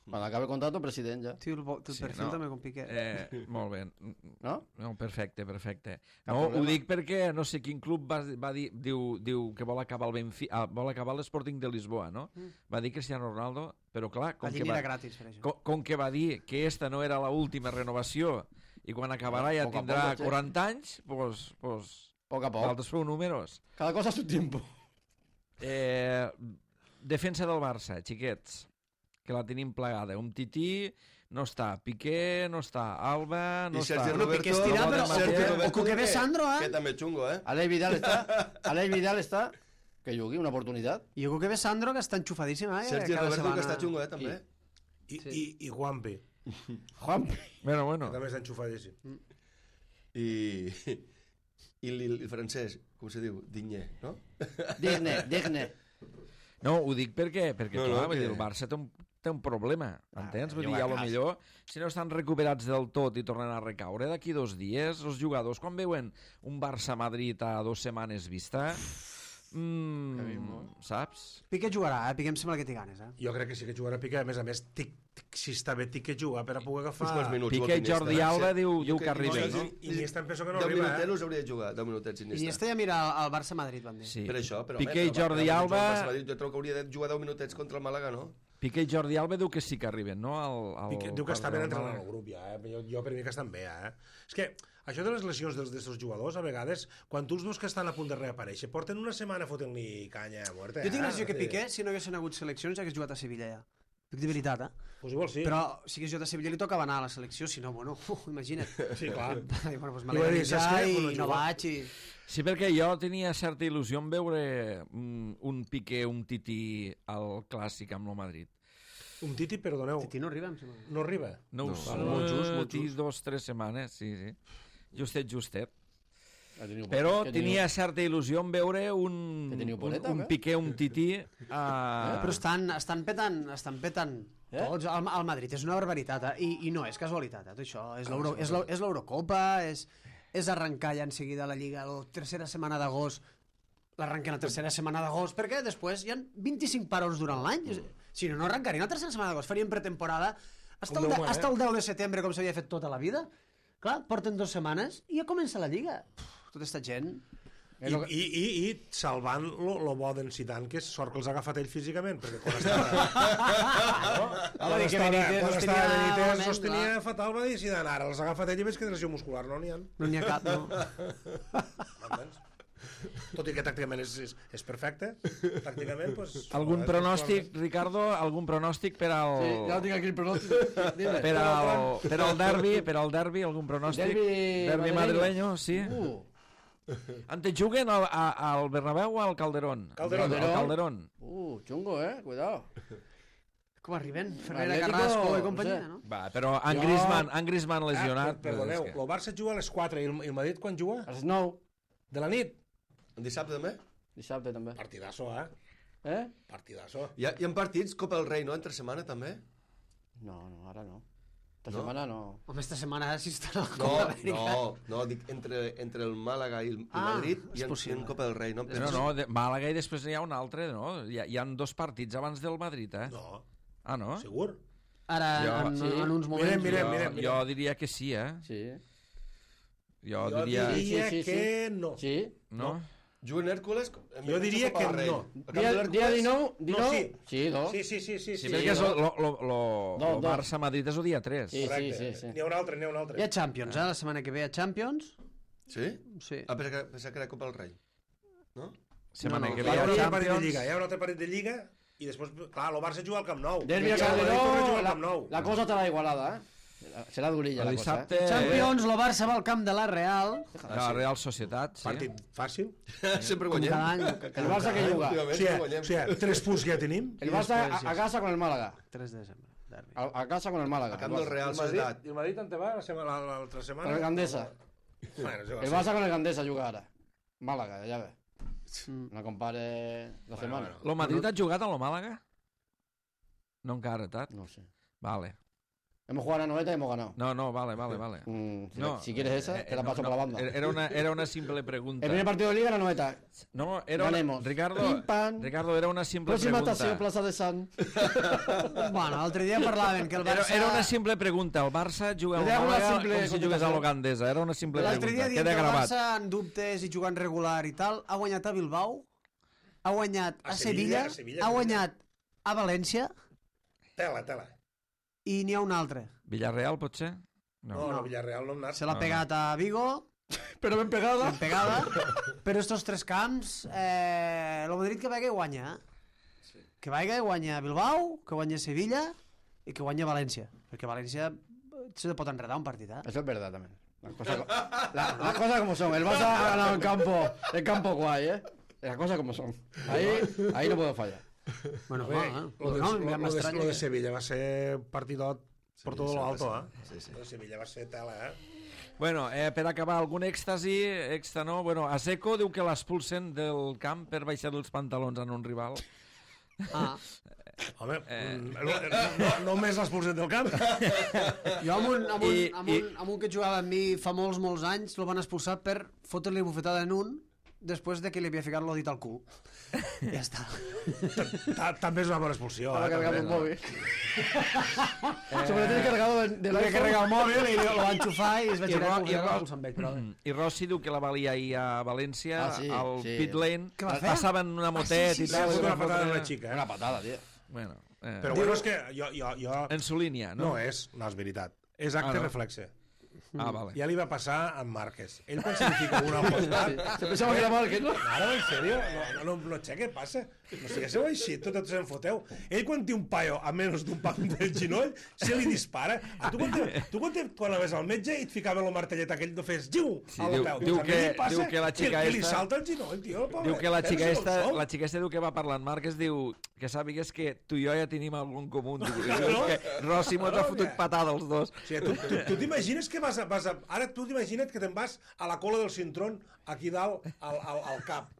Cuando acabe el contrato, presidente ya.
Tio, el, bo- el
Sí,
perfil
no.
també com Piqué.
Eh, molt bé.
¿No?
No, perfecte, perfecte.
Cap
No, ho
problema.
dic perquè no sé quin club va, va dir, diu, diu que vol acabar el Benfica, ah, vol acabar l'Sporting de Lisboa, no?
Mm.
Va dir Cristiano Ronaldo, però clar, com
Allí
que,
n'hi era
va,
gratis, per això.
com, com que va dir que esta no era l'última renovació i quan acabarà ja
Poc a
tindrà
poc, che.
quaranta anys, doncs, pues,
Poco a poco.
nosaltres feu números.
Cada cosa a su tiempo.
Eh, defensa del Barça, xiquets, que la tenim plegada. Un tití no està, Piqué no està, Alba no
I
està.
Sergi
Bueno,
Roberto...
Piqué estirà,
però-
Sergi
o-
Roberto,
o que ve
que-
Sandro, eh?
Que també xungo, eh?
Alex Vidal está. Alex Vidal está. Que jugui una oportunidad.
I jo crec que ve Sandro, que està enxufadíssim, eh?
Sergi
Cada
Roberto, que
setmana.
està xungo, eh, també.
I, i, i Juanpi,
Juan.
Bueno,
que
bueno.
també està enxufadíssim.
I... I el, el francès, com se diu? Digné, no?
Digne, digne.
No, ho dic perquè, perquè
No,
no, clar,
no,
vull
que-
dir, el Barça té un, té un problema, entens? Vull dir,
juga
a lo
a casa.
millor, si no estan recuperats del tot i tornen a recaure, d'aquí dos dies, els jugadors, quan veuen un Barça-Madrid a dues setmanes vista, mm, saps?
Piqué jugarà, eh? Piqué em sembla que té ganes, eh?
Jo crec que sí que jugarà Piqué, a més a més, tic, tic, si està bé, tic que juga per a poder
Uns quants
agafar...
minuts.
Piqué i
Iniesta.
Jordi Alba diu,
Jo
diu
crec
que arriben,
Iniesta-
no?
I Iniesta em penso que no
deu
arriba,
minutets
eh?
hauria de jugar, deu minutets Iniesta.
Iniesta ja mira al Barça-Madrid, van dir.
Sí.
Per això, però...
Piqué i
home, però
Jordi
va- va-
Alba...
el Barça Madrid, jo trobo que hauria de jugar deu minutets contra el Màlaga, no?
Piqué i Jordi Alba diu que sí que arriben, no? Al, al
Piqué, diu que està ben
al
entrenat
Màlaga.
al grup ja, eh? Jo, jo per mi que estan bé, eh? És que això de les lesions dels d'aquests jugadors, a vegades, quan tu els veus que estan a punt de reaparèixer, porten una setmana fotent-li canya a muerte,
Jo tinc
eh?
l'impressió que Piqué, si no haguessin hagut seleccions, hagués jugat a Sevilla ja. Dic de veritat, eh?
Pues igual sí.
Però si hagués jugat a Sevilla li tocava anar a la selecció, si no, bueno, uh, imagina't.
Sí, clar.
I, bueno, doncs
I va dir,
m'alegro
saps
ja
què?
i
Bueno,
no
jugar.
vaig i...
Sí, perquè jo tenia certa il·lusió en veure mm, un Piqué, un Tití al Clàssic amb el Madrid.
Un Titi, perdoneu,
Titi no arriba, em sembla.
no arriba.
No,
No,
ho sé.
molt just, molt
Titi,
just.
dos, tres setmanes, sí, sí. Justet, justet.
Ha tenido-
Però
que ha tenido-
tenia certa il·lusió en veure un,
Que teniu
un,
boleta,
un
eh?
Piqué, un Tití... Uh...
Però estan, estan petant, estan petant
Eh?
tots. El, el Madrid és una barbaritat, eh? I, i no és casualitat, eh? Tot això. És l'Euro- és l'Euro- és l'Eurocopa, és, és arrencar ja en seguida la Lliga, la tercera setmana d'agost, l'arrenquen la tercera setmana d'agost, perquè després hi ha vint-i-cinc parons durant l'any. És- Si no, no arrencarien la tercera setmana d'agost, farien pretemporada hasta
Com
el, de,
Déu mana,
hasta el deu de setembre, com s'havia fet tota la vida. Clar, porten dues setmanes i ja comença la Lliga. Pff, tota esta gent...
I, i, i, i salvant lo, lo bo d'en Zidane, que és sort que els ha agafat ell físicament, perquè quan estava...
Home,
quan
que
estava,
Benítez
quan
els
estava
tenia
Benítez
malament,
els tenia
clar.
fatal, va dir Zidane, ara els ha agafat ell i veig que de lesió muscular no n'hi ha.
No n'hi ha cap, no.
M'entens? Tot i que tàcticament és, és, és perfecte, tàcticament, pues,
Algun
joder,
pronòstic, Ricardo? Algun pronòstic per al...
Sí, ya lo tengo aquí el pronóstico. Dime.
Per al, per al derbi, per al derbi, algun pronòstic?
Derbi
derbi
madrileño.
madrileño, sí.
Uh,
Antes juguen al, a- al Bernabéu o al Calderón?
Calderón.
Al Calderón.
uh, chungo, eh. Cuidado.
Com arriben? Ferreira,
Atlético,
Carrasco i
no
companyia,
sé.
no?
Va, però en
Jo-
Griezmann, en Griezmann lesionat...
Ah, perdoneu,
és que-
el Barça juga a les quatre i el, i el Madrid quan juga?
A las nou.
De la nit?
El dissabte també?
Dissabte també.
Partidazo, eh?
Eh?
Partidazo.
Hi ha, hi ha partits, Copa del Rei, no? Entre setmana, també?
No, no, ara no. Esta
No?
setmana no.
Home, esta setmana si està a la
No,
Copa Amèrica.
no, no, dic entre, entre el Màlaga i el i
Ah,
Madrid
és
i en,
possible.
i en Copa del Rei, no?
No, no, de Màlaga i després hi ha un altre, no? Hi ha, hi ha dos partits abans del Madrid, eh?
No,
Ah, no?
segur?
Ara,
Jo-
en,
sí.
en uns moments...
Mirem, mirem,
jo,
mirem, mirem.
jo diria que sí, eh?
Sí.
Jo,
Jo
diria...
diria
Sí, sí, sí,
que no.
Sí.
No?
Juguen Hèrcules...
Jo diria que no.
Dia, dia dinou, dinou...
No, sí.
Sí, no?
Sí, sí, sí, sí.
Sí,
sí.
perquè és
no?
lo, lo, lo,
No,
lo
no.
Barça-Madrid és el dia tres.
Sí.
Correcte.
sí.
N'hi ha un altre, n'hi ha un altre.
Hi ha Champions, eh? La setmana que ve hi ha Champions.
Sí?
Sí.
Ah, pensava que, pensava que era Copa del Rei. No?
Setmana
No, no.
que
Hi
ve
ha
hi
un
ha
altre partit de
Champions.
Lliga, hi ha un altre partit de Lliga i després, clar, el Barça juga al Camp Nou.
Derbi a
I el Madrid torna a
Calderó,
jugar al
la,
Camp Nou.
la cosa estarà igualada, eh? Serà durilla
El
la cosa,
dissabte...
eh?
Champions, el Barça va al camp de la Real.
La Real Societat, sí.
Partit fàcil.
Sempre
Com
guanyem.
cada any.
El Barça que juga.
Últimament
O sigui,
sempre
o
guanyem.
sigui, tres punts que ja tenim.
El
i
Barça a,
després,
a casa con el Málaga.
tres de desembre. Derbi.
A, a casa con el Málaga.
A camp del Real
El Madrid,
Societat.
i el Madrid on te va la setmana- la- l'altra setmana?
Con el Gandesa.
Bueno, sí,
El
sí.
Barça con el Gandesa juga ara. Málaga, ja ve. No compare la
Bueno,
setmana.
bueno.
Lo Madrid ha jugat a lo Màlaga? No encara, Tat?
No sé.
Vale.
Hemos jugado a la noveta y hemos ganado.
No, no, vale, vale, vale.
Mm, si,
No,
si quieres esa,
eh,
te la
no,
paso
no,
por la banda.
Era una, era una simple pregunta.
El primer partido de Liga, la noveta.
No, era una,
Ganemos.
Ricardo,
Pim, pam.
Ricardo, era una simple
Próxima
pregunta.
estación, Plaza de San.
Bueno, l'altre dia parlaven que el
Era,
Barça...
era una simple pregunta. El Barça juga al
Era una
Màlaga
simple
com si jugués a
contestació.
l'Ogandesa. Era una simple
L'altre
pregunta.
dia dient
Queda
que el
gravat.
Barça en dubtes i jugant regular i tal, ha guanyat a Bilbao, ha guanyat a,
A
Sevilla,
Sevilla, a Sevilla,
ha
Sevilla.
guanyat a València
Tela, tela.
i n'hi ha un altre.
Villarreal, potser?
No,
No.
no, no Villarreal no hem anat.
Se l'ha
No,
pegat a Vigo,
Pero ben pegada.
ben pegada, però estos tres camps, eh, el Madrid que vagi guanya. Que vagi guanya Bilbao, que guanya Sevilla i que guanya València. Perquè València se pot enredar un partit, eh?
Eso es verdad también. Las cosas, co- la- las cosas como son. El Barça ha ganado en campo, en campo guay, ¿eh? Las cosas como son. Ahí, ahí no puedo fallar.
Bueno,
Bé,
va, eh?
lo, de,
No,
lo,
ja
lo, de,
m'estranya
lo de
que-
Sevilla va ser partidot por todo lo alto, eh?
Sí, sí.
Lo de Sevilla va ser tela, eh?
Bueno, eh, per acabar, algun èxtasi, extra no? Bueno, a Seco diu que l'expulsen del camp per baixar els pantalons en un rival.
Ah.
Home, eh... no, no, només l'expulsen del camp.
Jo amb un, amb, un,
I-
amb,
i-
un, amb un que jugava amb mi fa molts, molts anys, el van expulsar per fotre-li bufetada en un després de que li havia ficat l'odit al cul. Ja està.
Ta- També és una bona expulsió.
Para
Eh,
cargar
també,
el
no?
móvil. Se me lo tiene cargado de, de
Li havia carregat el mòbil i lo va enxufar i es va
I,
girar
Ro
i
i,
el va
Ro
expulsar amb ell. Però...
I Rossi diu que la valia ahir a València,
Ah, sí,
al
sí.
pit lane,
Què va fer?
passaven una motet
Ah, sí, sí,
i
Li ha
tal.
fotut
i
una
va
patada
fotre-
a la xica,
Una
eh?
patada, tío.
Bueno, eh,
Però bueno, és que jo... jo, jo...
en su línia,
No
no?
és, no és veritat. És acte
Ah, no?
reflexe.
Ah, vale.
Ja li va passar amb Márquez. Ell quan se li fica una al costat...
Se pensaba que era Márquez, ¿no?
Ara, en sèrio? No, no, no, no sé què passa. No siguéssiu així, tot, tot se'n foteu. Ell quan té un paio a menys d'un pam del ginoll, se li dispara. A tu quan, te, tu quan, te, quan anaves al metge i et ficaven el martellet aquell, no fes giu
Sí,
a la
diu-
peu.
diu
Doncs a mi
que-
li passa
diu que la xica
que, que li
esta-
salta el ginoll, tio, pobre.
Diu que la xica,
Pensa
esta,
com sou.
la xica esta diu que va parlant Márquez, diu que sàpigues que tu i jo ja tenim algun comú. Diu, diu
No?
que Rossi mos ha
No,
fotut
que-
patada els dos.
O sigui, tu tu, tu t'imagines que vas a, vas a... Ara tu t'imagines que te'n vas a la cola del cintrón aquí dalt al, al, al cap.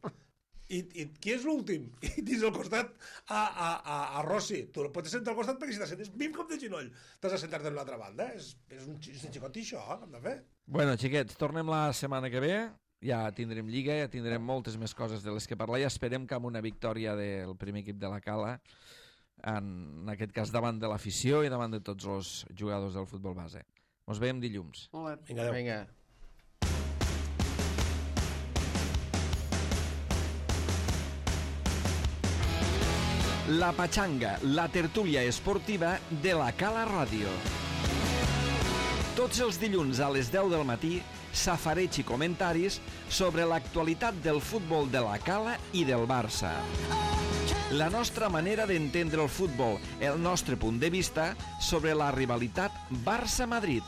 I, i qui és l'últim? I dins al costat a, a, a, a Rossi. Tu no pots sentar al costat perquè si t'assentes bim com de ginoll t'has de sentar-te en l'altra banda. És, és un, és un xicot i això, hem de fer.
Bueno, xiquets, tornem la setmana que ve. Ja tindrem Lliga, ja tindrem moltes més coses de les que parlar i esperem que amb una victòria del primer equip de la Cala, en aquest cas davant de l'afició i davant de tots els jugadors del futbol base. Ens veiem dilluns.
Molt bé.
Vinga, adéu.
Venga.
La Pachanga, la tertúlia esportiva de la Cala Ràdio. Tots els dilluns a les deu del matí, safareig i comentaris sobre l'actualitat del futbol de la Cala i del Barça. La nostra manera d'entendre el futbol, el nostre punt de vista sobre la rivalitat Barça-Madrid.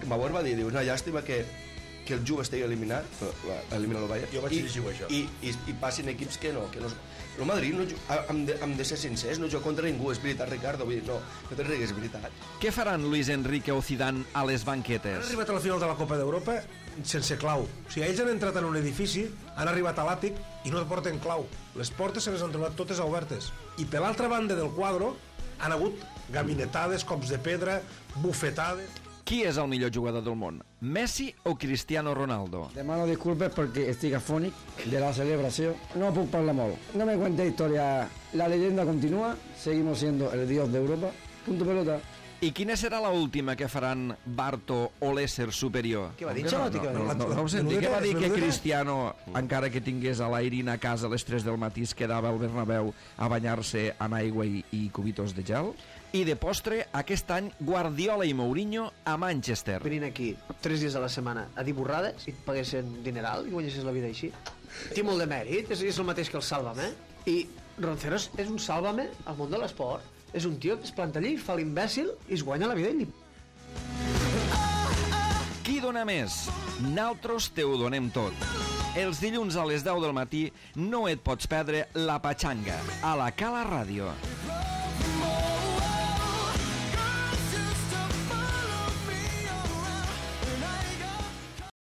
Bauer va dir, diu, una llàstima que, que el Juve estigui eliminat, elimina el Bayern,
Jo vaig
i,
llegir això.
i, i, i passin equips que no, que no... El Madrid, no, ju- hem, de, hem de ser sincers, no juga contra ningú, és veritat, Ricardo, vull dir, no, no te rigues, és veritat.
Què faran Luis Enrique o Zidane a les
Han
banquetes?
arribat a la final de la Copa d'Europa sense clau. O sigui, ells han entrat en un edifici, han arribat a l'àtic i no porten clau. Les portes se les han trobat totes obertes. I per l'altra banda del quadre han hagut gabinetades, cops de pedra, bufetades...
Qui és el millor jugador del món? Messi o Cristiano Ronaldo?
Demano disculpes perquè estic afònic de la celebració. No puc parlar molt. No me cuente historia. La leyenda continúa. Seguimos siendo el dios de Europa. Punto pelota.
I quina serà l'última que faran Barto o l'ésser superior?
Què va dir,
No,
Xalotti?
no,
Què va
no,
dir?
no, no, no ho senti. Què va dir que
Menudeta.
Cristiano, encara que tingués a l'Airin a casa a les tres del matí, es quedava al Bernabéu a banyar-se en aigua i, i cubitos de gel? I de postre, aquest any, Guardiola i Mourinho a Manchester.
Venint aquí tres dies a la setmana a dir borrades i et paguessin dineral i guanyessis la vida així. Té molt de mèrit, és, és el mateix que el Sálvame. I Ronceros és un Sálvame al món de l'esport. És un tio que es planta allí, fa l'imbècil i es guanya la vida i li...
Qui dona més? Naltros te ho donem tot. Els dilluns a les deu del matí no et pots perdre La Pachanga, a la Cala Ràdio.